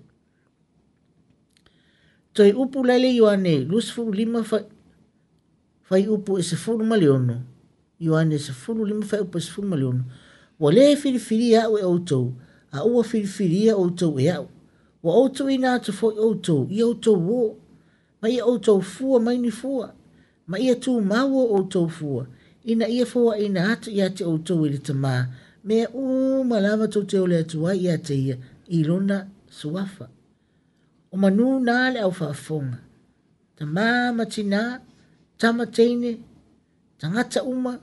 Toe upu la le Ioane luasefulu lima fuaiupu e sefulu ma le ono. Ioane sefulu lima fuaiupu e sefulu ma le ono. Ua lē filifilia a'u e outou, a ua filifilia outou e a'u. Ua ou tuuina atu foi outou ia outou ō, ma ia outou fua mai ni fua, ma ia tumau o outou fua, ina ia foaina atu ia te outou e le Tamā, mea uma lava tou te ole atu ai ia te ia i lona suafa. O manū na le au faafofoga. Tamā ma tinā, tama teine, tagata uma,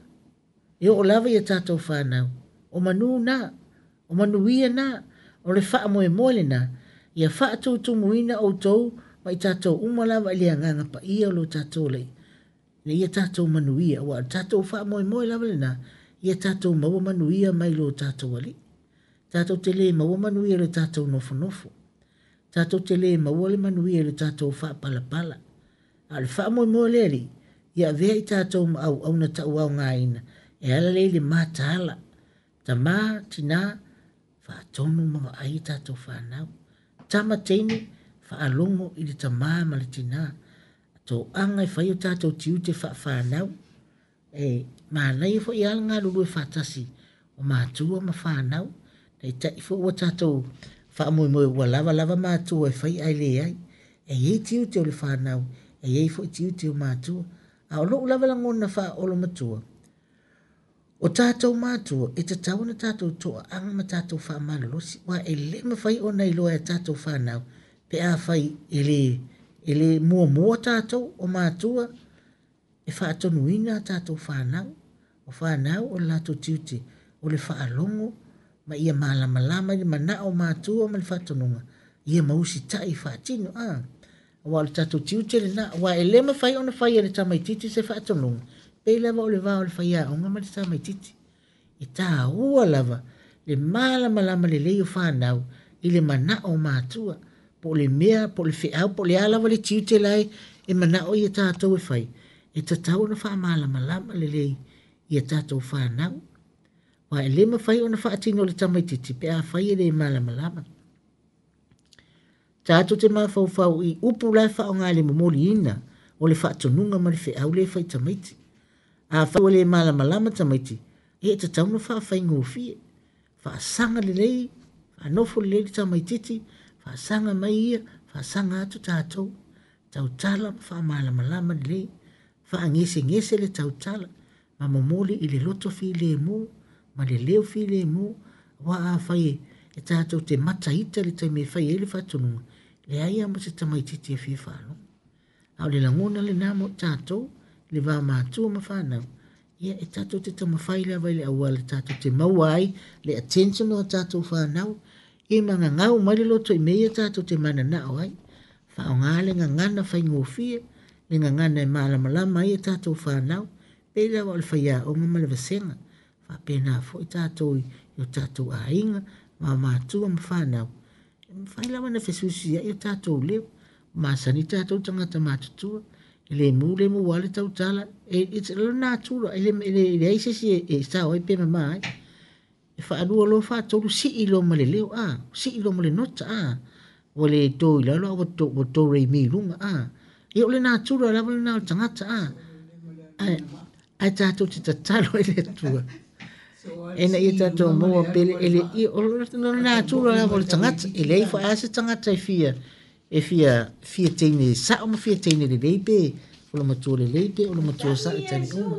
e oo lava ia tatou fanau. O manū na, o manuia na, o le faamoemoe lenā, ia faatutumuina outou ma i tātou uma lava i le agaga paia o lo tatou Alii, ina ia tatou manuia, aua o le tatou faamoemoe lava lena, ia tatou maua manuia mai lo tatou Alii. Tatou te le maua manuia i le tatou nofonofo. Tatou te le maua le manuia i le tatou faapalapala. A o le faamoemoe o le Alii, ia avea i tatou ma auauna tauaogaina, e ala lea i le mataala. Tamā, tinā, faatonu ma vaai i tatou fanau. Tama teine, faalogo i le tamā ma le tinā. Toaga e fai o tatou tiute faafanau. E manaia foi lava le galulue faatasi o matua ma fanau. Taitai foi ua tatou faamoemoe ua lava lava matua e fai ae leai. E i ai tiute o le fanau, e i ai foi tiute o matua. A o lou lava lagona faaolomatua, o tatou matua e tatau ona tatou toaaga ma tatou faamalolosi, aua e le mafai ona iloa e tatou fanau pe afai e le, e le muamua tatou o matua e faatonuina a tatou fanau. O fanau o le latou tiute o le faalogo ma ia malamalama i le manao o matua ma le faatonuga, ia ma usitai faatino. Ah, aua o le tatou tiute lena, aua e le mafai ona fai e le tamaitiiti se faatonuga, pei lava o le va o le faiaoga ma le tamaitiiti. E tāua lava le malamalama lelei o fanau i le manao o matua, po o le mea, po o le feau, po o le a lava le tiute la e e manao ia tatou e fai, e tatau ona faamalamalama lelei ia tatou fanau. Aua e le mafai ona faatino e le tamaitiiti pe afai e le malamalama. Tatou te mafaufau i upu la e faaaoga i le momoliina o le faatonuga ma le feau lea e fai i tamaiti. Afai ua le malamalama tamaiti, ia e tatau ona faafaigofie. Faasaga lelei, faanofo lelei le tamaitiiti, faasaga mai ia, faasaga atu tatou. Tautala ma faamalamalama lelei, faagesegese le tautala, ma momoli i le loto filemu ma le leo filemu. Aua afai e tatou te mataita le taimi e fai ai le faatonuga, leai lava ma se tamaitiiti e fia faalogo. A o le lagona lena mo tatou, le va matua ma fanau, ia e tatou te taumafai lava i le auala tatou te maua ai le attention o tatou fanau, ia ma gagau mai le loto i mea ia tatou te mananao ai. Faaaoga le gagana faigofie, le gagana e malamalama ai a tatou fanau, pei lava o le faiaoga ma le vasega. Faapena foi tatou i o tatou aiga, ma matua ma fanau. E mafai lava ona fesuisuiai o tatou leo. Masani tatou tagata matutua, e le mu le mu lava le tautala, e it's le natura, e le e leai se isi e sao ai pe mama ai. E faalua loa faatolu sii loa ma le leo, a, sii loa ma le nota, a. Ua le to i lalo a ua to, ua to re mi i luga, a. Ia o le natura lava lena o le tagata, a. Ae, ae tatou te tatalo ai le Atua ina ia tatou maua pele, e le, ia, o le natura lava o le tagata, e leai foi lava se tagata e fia, e fia, fia teine sao ma fia teine lelei pe o le matua lelei pe o le matua sao i taimi uma.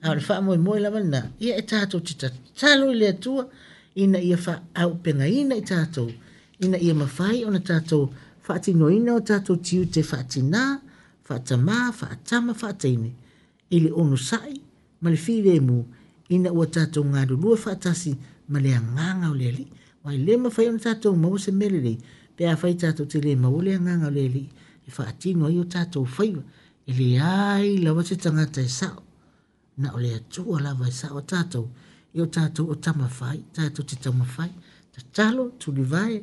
A o le faamoemoe lava lena, ia e tatou te tatalo i le Atua ina ia faaaupegaina i tatou, ina ia mafai ona tatou faatinoina o tatou tiute faatinā, faatamā, faatama, faateine, i le onosai ma le filemu, ina ua tatou galulue faatasi ma le agaga o le Alii. Aua e le mafai ona tatou maua se mea lelei, pe afai tatou te le maua le agaga o le Alii e faatino ai o tatou faiva. E leai lava se tagata e sao, na o le Atua lava e sao a tatou, e o tatou o taumafai, tatou te taumafai, tatalo, tulivae,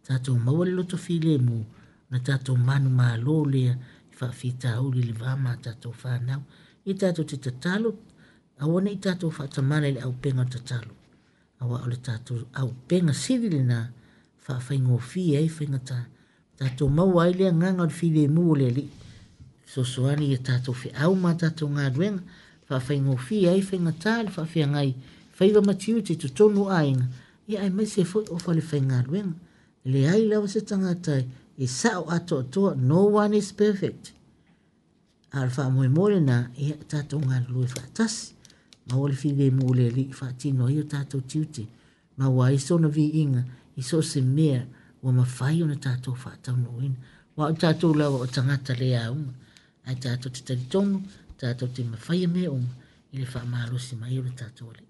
tatou maua le loto filemu, na tatou manumalo lea i faafitauli i le va ma tatou fanau. Ia tatou te tatalo, aua ne i tatou faatamala i le aupega o le tatalo, aua o le tatou aupega sili lena faafaigofie ai faigata. Tatou maua ai le agaga o le filemu o le Alii, fesoasoani ia tatou feau ma tatou galuega, faafaigofie ai faigata le faafeagai faiva ma tiute i totonu o aiga, ia aemaise foi o falefaigaluega. E leai lava se tagata e sao atoatoa, no one is perfect. A o le faamoemoe lena, ia tatou galulue faatasi, maua le filemu o le Alii faatino ai o tatou tiute, maua ai sona viiga i so o se mea ua mafai ona tatou faataunuuina. Aua o tatou lava o tagata le auga, ae tatou te talitonu, tatou te mafaia mea uma i le faamalosi mai o le tatou Alii.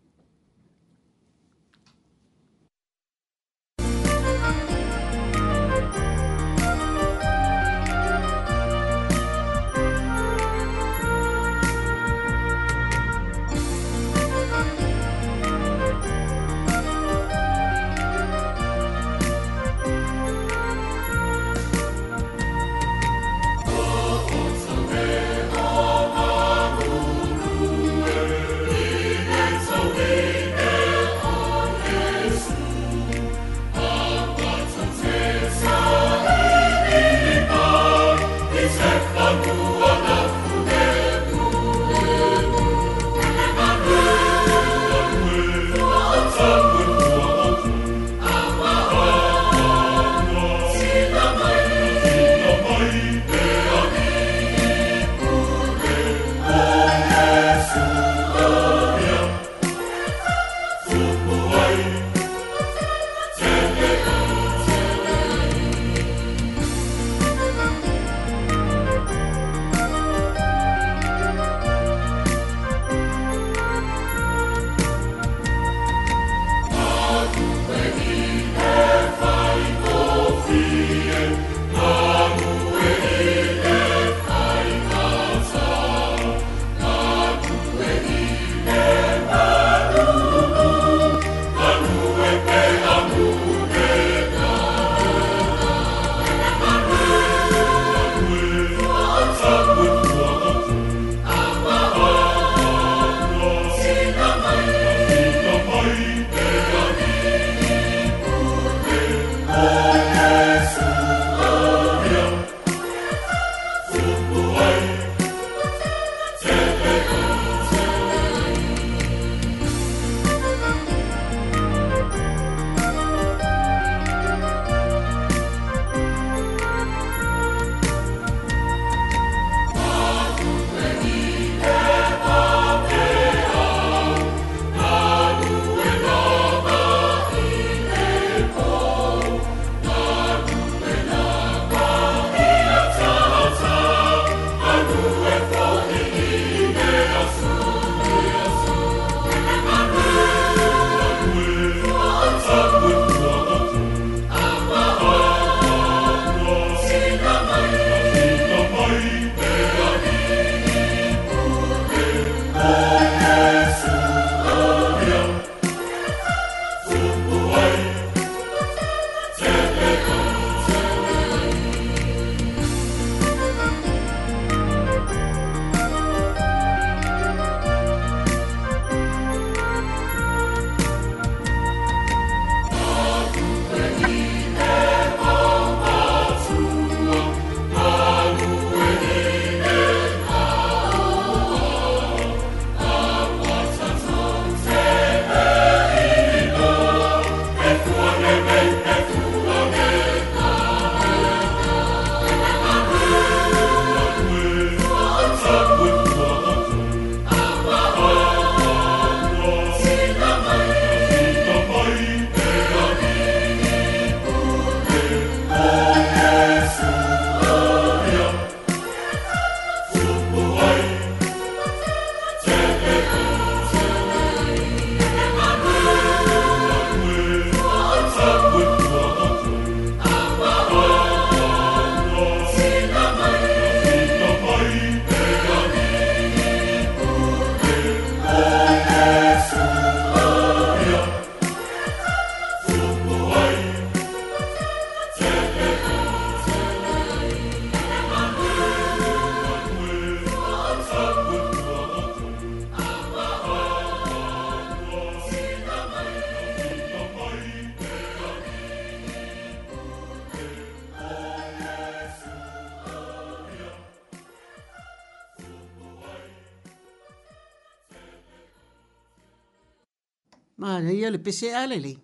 Manaia le pese a lelei.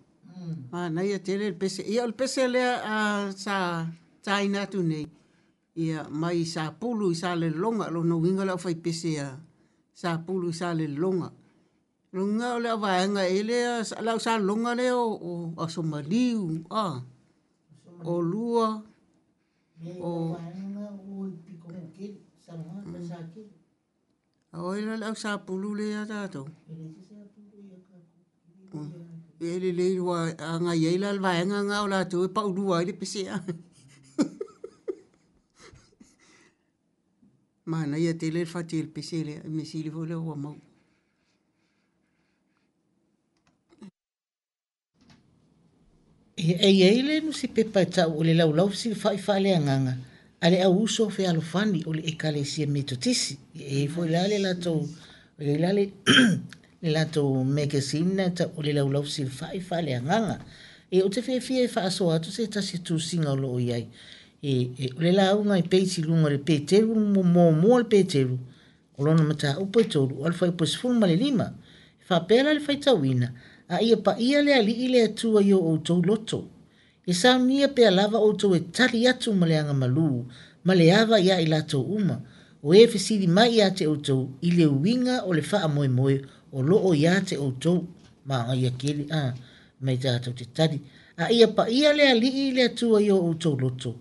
Manaia tele le pese. Ia o le pese lea a sa taina atu nei. Ia mai Sapulu i Salelologa. Lona uiga o le aufaipese a Sapulu i Salelologa. Lona uiga o le auvaega e lea, le au Salelologa lea o, o Aso Maliu, a, o lua, o... O ai la le au Sapulu lea ia tatou? E lelei ua agai ai la le vaega lena o latou e paulua ai le pese a. Manaia tele le fati o le pese lea, mea sili foi lea ua maua. E i ai le nusipepa e tau o le Laulau Fesilafai Faaleagaga a le Au Uso Fealofani o le Ekalesia Metotisi. E i ai foi la le latou, e i ai la le, le latou magazine na e tau o le Laulau Fesilafai Faaleagaga. E ou te fiafia e faasoa atu se tasi o tusiga o lo o i ai. E, e, o le lauga i peiti i luga o le Peteru, muamua le Peteru, o lona mataupu e tolu, o le fuaiupu e sefulu ma le lima. E faapea la le faitauina, a ia paia le Alii le Atua i o outou loto. E saunia pea lava outou e tali atu ma le agamalu, ma le ava ia i latou uma. O e fesili mai ia te outou i le uiga o le faamoemoe o loo ia te outou. Manaia tele, a, mai tatou te tali. A ia paia le Alii le Atua i o outou loto.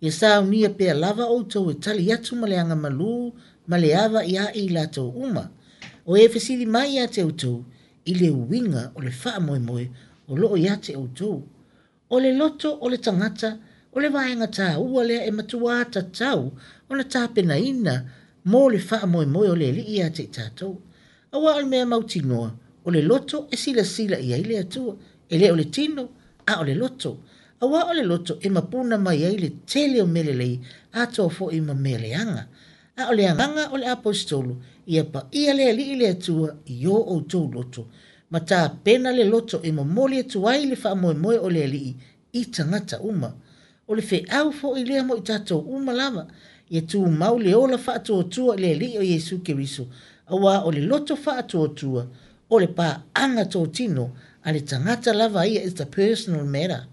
E saunia pea lava outou e tali atu ma le agamalu, ma le ava ia i latou uma. O e fesili mai ia te outou i le uiga o le faamoemoe o loo ia te outou. O le loto o le tagata, o le vaega taua lea e matua tatau ona tapenaina mo le faamoemoe o le Alii ia te i tatou. Aua o le mea mautinoa, o le loto e silasila i ai le Atua, e le o le tino, a o le loto. Aua o le loto e mapuna mai ai le tele o mea lelei, atoa foi ma mea leaga. A o le agaga o le aposetolo, ia paia le Alii le Atua i o outou loto, ma tapena le loto e momoli atu ai le faamoemoe o le Alii i tagata uma. O le feau foi lea mo i tatou uma lava, ia tumau le ola faatuatua i le Alii o Iesu Keriso, aua o le loto faatuatua, o le paaga totino a le tagata lava ia, it's a personal matter.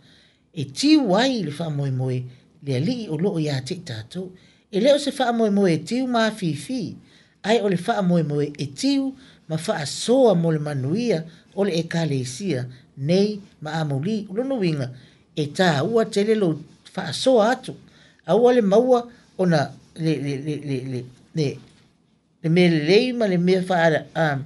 E tiu ai le faamoemoe le Alii o loo ia te i tatou. E le o se faamoemoe e tiu ma afifi, ai o le faamoemoe e tiu ma faasoa mo le manuia o le ekalesia nei ma amuli. O lona uiga, e tāua tele lo faasoa atu. Aua le maua ona le, le, le, le, le, le, le mea lelei ma le mea faa, a,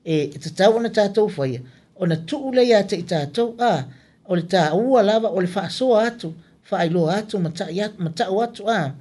e tatau ona tatou faia, ona tuu lea ia te i tatou, a, o le tāua lava o le faasoa atu, faailoa atu, ma tai atu, ma tau atu, a.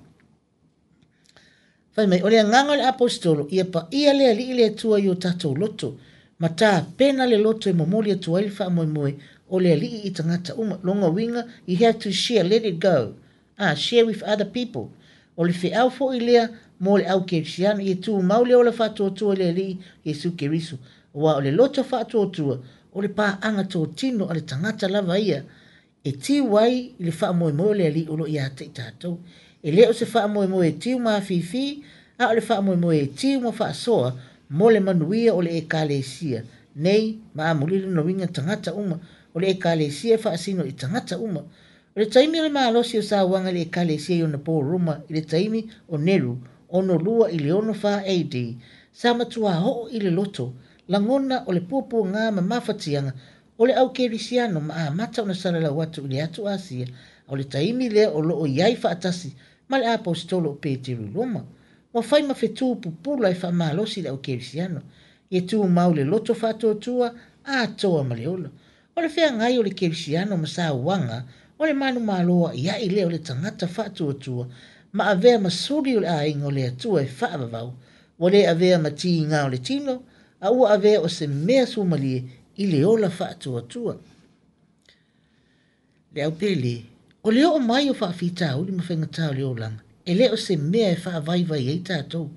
Fai mai, o le agaga o le aposetolo, ia paia le Alii le Atua i o tatou loto, ma tapena le loto e momoli atu ai le faamoemoe o le Alii i tagata uma. Lona uiga, you have to share, let it go. Ah, share with other people. O le feau foi lea mo le au kerisiano, ia tumau le ola faatuatua i le Alii Iesu Keriso. Aua o le loto faatuatua, o le paaga totino a le tagata lava ia, e tiu ai i le faamoemoe o le Alii o loo ia te i tatou. E le o se faamoemoe e tiu ma afifi, a o le faamoemoe e tiu ma faasoa mo le manuia o le ekalesia nei ma amuli lona uiga tagata uma. O le ekalesia e faasino i tagata uma. O le taimi o le malosi o sauaga i le ekalesia i ona po Roma i le taimi o Neru, ono lua i le ono fa A D, sa matua oo i le loto, lagona o le puapuaga ma mafatiaga o le au kerisiano ma amata ona salalau atu i le atu Asia, o le taimi lea o loo i ai faatasi ma le aposetolo o Peteru i Roma. Ua fai ma fetu pupula e faamalosi le au kerisiano, ia tumau le loto faatuatua atoa ma le ola. O le feagai o le kerisiano ma sauaga o le manumalo a'ia'i lea o le tagata faatuatua, ma avea ma suli o le aiga o le Atua e faavavau. Ua le avea ma tiga o le tino, a ua avea o se mea sumalie i le ola faatuatua. Le au pele, o le oo mai o faafitauli ma faigata o le olaga, e le o se mea e faavaivai ai tatou,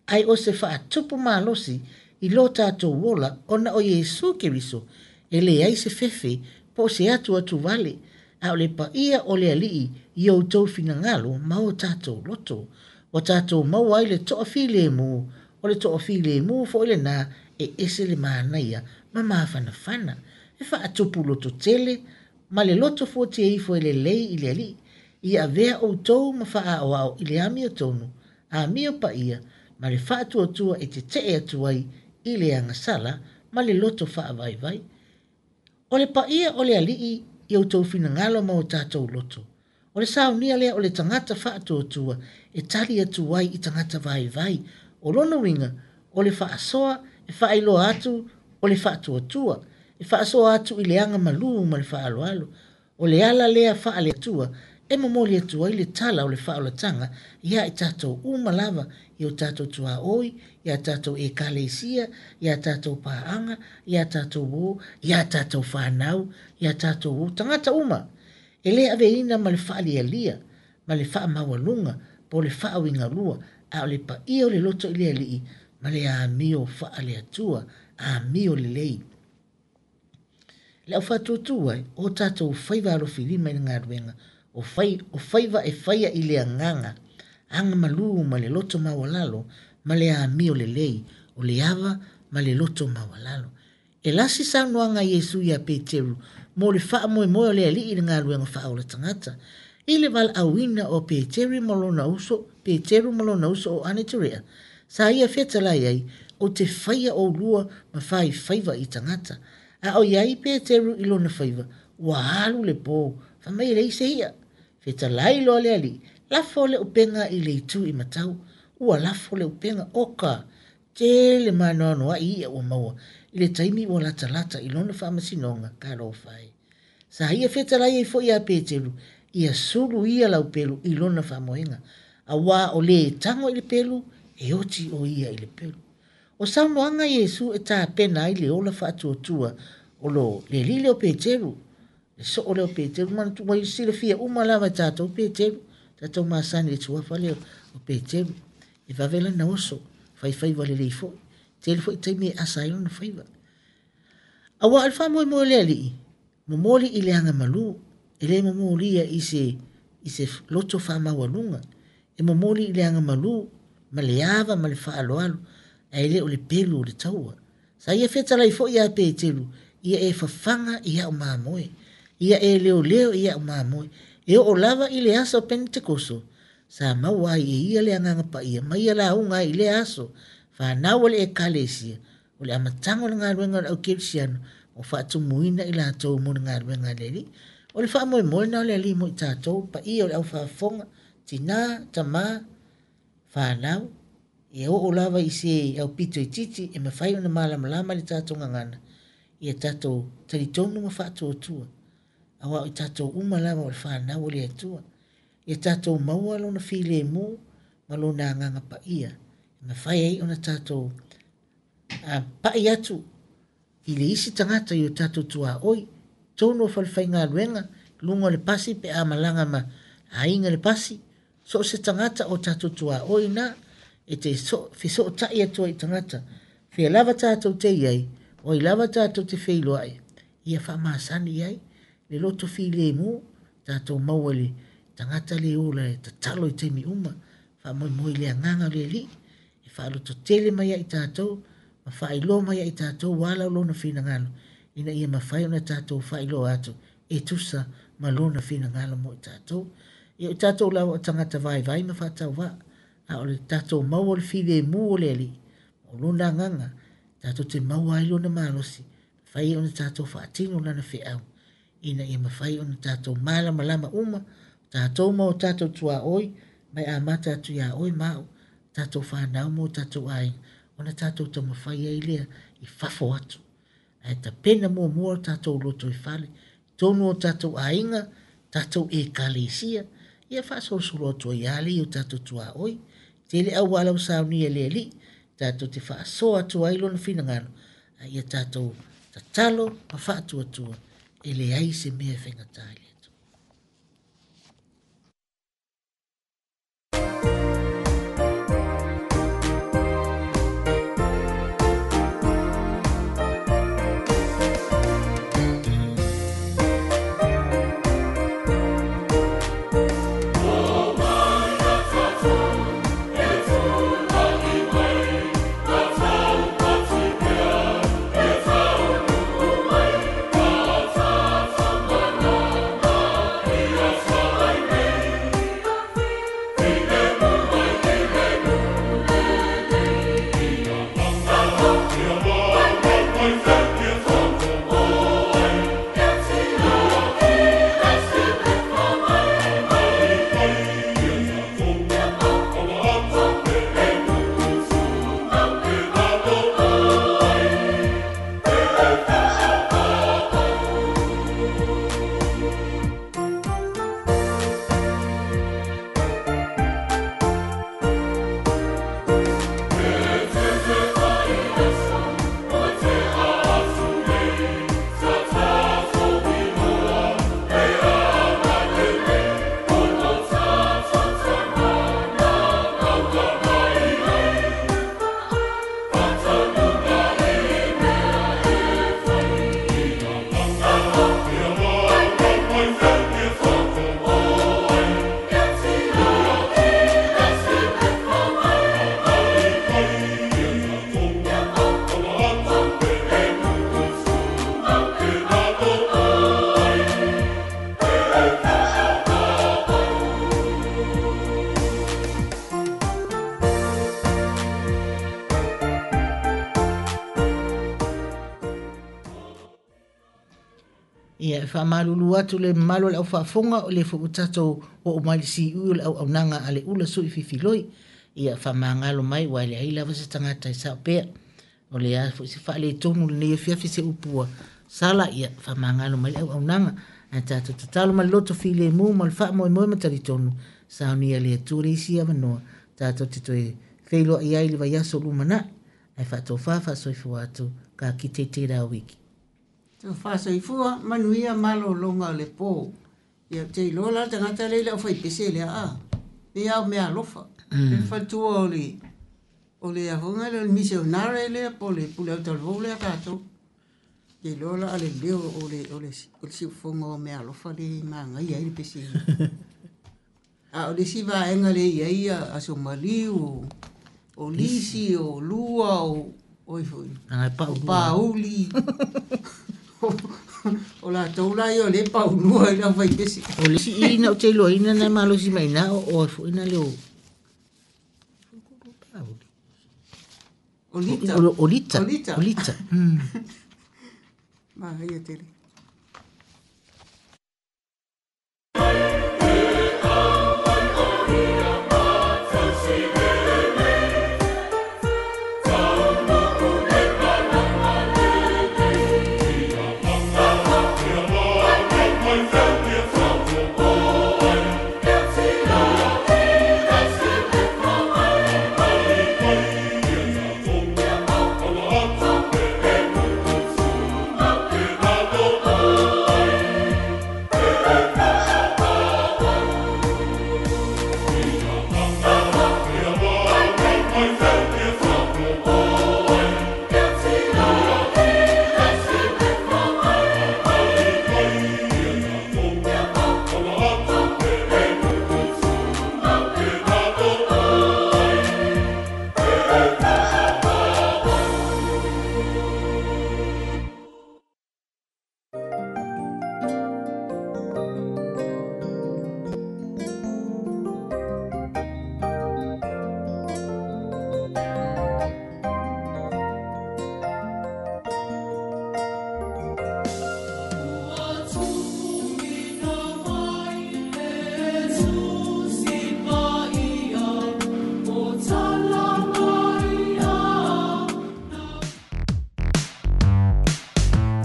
ai o se faatupu malosi i lo tatou ola ona o Iesu Keriso, e leai se fefe po o se atu atu vale, a o le paia o le Alii i outou finagalo ma o tatou loto. Ua tatou maua ai le toafilemu, o le toafilemu foi lena E ese le manaia ma mafanafana, e faatupu loto tele, ma le loto fuatia ifo e lelei i le alii, ia avea outou ma faaoao i le amiotonu, amio paia, ma le faatuatua e tetee atu ai i le agasala ma le loto faavaivai. O le paia o le alii i outou finagalo ma o tatou loto. O le saunia lea o le tagata faatuatua e tali atu ai i tagata vaivai. O lona uiga, o le faasoa e faailoa atu o le faatuatua, e faasoa atu i le aga malū ma le faaaloalo. O le ala lea faale-Atua e momoli atu ai le tala o le faaolataga ia i tatou uma lava, i o tatou tuaoi, ia tatou ekalesia, ia tatou paaga, ia tatou o, ia tatou whanau, ia tatou o, tagata uma. E le aveina ma le faalialia, ma le faamaualuga, po le faauigalua, a o le paia o le loto i le alii, ma le amio faale-Atua, amio lelei. Le au faatuatua ai, o tatou faiva alofilima i le galuega, o, fai, o faiva e faia i le agaga, aga malū ma le loto maualalo, ma le amio lelei, o le ava ma le loto maualalo. E lasi saunoaga a Iesu ia Peteru, mo le faamoemoe o le alii i le galuega faaola tagata. I le valaauina o Peteru ma lona uso, Peteru ma lona uso o Aneterea, sa ia fetalai ai, o te faia o lua ma fai faiva i tagata. A o iai Peteru i lona faiva, ua alu le pō, fai mai e leai se ia. Fetalai loa le alii, lafo le upenga i le itu i matau, ua lafo le upenga oka, tele maanoanoai ia ua maua, i le taimi ua latalata i lona faamasinoga talofa e. Sa ia fetalai ai foi ia Peteru, ia sulu ia laupelu i lona faamoega, auā o le tago i le pelu, e oti o ia i le pelu. O saunoaga Iesu e tapena ai le ola faatuatua o lo le alii lea o Peteru, le soo lea o Peteru, manatua ua silafia uma lava e tatou Peteru, tatou masani i le suafa lea o Peteru, e vave lana oso, faifaiva lelei foi, tele foi taimi e asa ai lona faiva. Auā o le faamoemoe o le alii, momoli i le aga malū, e le momolia i se, i se loto faamaualuga, e momoli i le aga malū, ma le ava ma le faaaloalo, ae le o le pelu o le taua. Sa ia fetalai foi ia Peteru, ia e fafaga i au mamoe, ia e leoleo i au mamoe, e oo lava i le aso o Pentekoso, sa maua ai e ia le agaga paia, ma ia lauga ai i lea aso, whanau o le ekalesia, o le amataga o le galuega o le au kerisiano, o faatumuina i latou mo le galuega a le Alii. O le faamoemoe na o le alii mo i tatou, paia o le aufaafofoga, tinā, tamā, whanau, e oo lava i se aupito itiiti e mafai ona malamalama le tatou gagana, ia tatou talitonu ma faatuatua, auā o i tatou uma lava o le whanau o le Atua. Ia tatou maua lona filemu ma lona agaga paia, e mafai ai ona tatou a, pai atu i le isi tagata i o tatou tuaoi, tonu o falefaigaluega, luga o le pasi pe a malaga ma aiga le pasi, so o se tagata o tatou tuaoi na, e te so, fesootai atu ai i tagata. Fea lava tatou te iai, o ai lava tatou te feiloai, ia faamasani i ai, le loto filemu, tatou maua le tagata le ola e tatalo i taimi uma, faamoemoe i le agaga o le Alii, e faalototele mai ai i tatou, ma faailoa mai ai i tatou ala o lona finagalo, ina ia mafai ona tatou faailoa atu, e tusa ma lona finagalo mo i tatou. Ia o tatou lava o tagata vaivai ma faatauvaa, a o le tatou maua o le filemu o le Alii, o lona agaga, tatou te maua ai lona malosi, mafai ona tatou faatino lana feau, ina ia mafai ona tatou malamalama uma, tatou ma o tatou tuaoi, mai amata atu ia oe ma au, tatou whanau mo tatou aiga, ona tatou taumafai ai lea i fafo atu. Ae tapena muamua o tatou loto i fale, tonu o tatou aiga, tatou ekalesia, ia faasolosolo atu ai lava lea i o tatou tuaoi. Tele auala ua saunia e le Alii, tatou te faasoa atu ai lona finagalo, a ia tatou tatalo ma faatuatua, e leai se mea e faigata i le Atua. Thank you. Ia, e faamalulu atu le mamalu o le aufaafofoga o le foi ua tatou oo mai le siui o le auaunaga a le ula sui fifiloi. Ia, faamagalo mai ua e leai lava se tagata e sao pea. O le a foi se faaletonu lenei afiafi se upu ua sala, ia faamagalo mai le auaunaga. Ae tatou tatalo ma le loto filemu ma le faamoemoe ma talitonu, saunia le Atua le isi avanoa tatou te toe feiloai ai i le vaiaso lumanai. Ae faatofā faasoifua atu ka kite i tērā wiki. Tofā soifua, manuia malōlōga o le pō. Ia, ou te iloa la le tagata lea i le aufaipese lea, a. Ia o mea alofa. Mm. Le faletua o le, o le afoga lea, o le misionare lea, po o le pule autalavou lea tatou. Te iloa la a le leo o le, o le, o le siufofoga o mea alofa lea e magaia ai le pese. A o le isi vaega lea e i ai aso maliu, o, o lisi, o lua, o, oi foi, o pauli. O latou la ia o lea e paulua i le aufaipese. O le isi i na ou te iloaina na e malosi mai ina o oe foi na leo O Lita. O, o Lita. O Lita. O Lita. Mm. Manaia tele.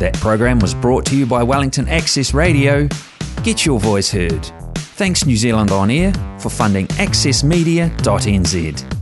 That program was brought to you by Wellington Access Radio. Get your voice heard. Thanks New Zealand On Air for funding access media dot n z.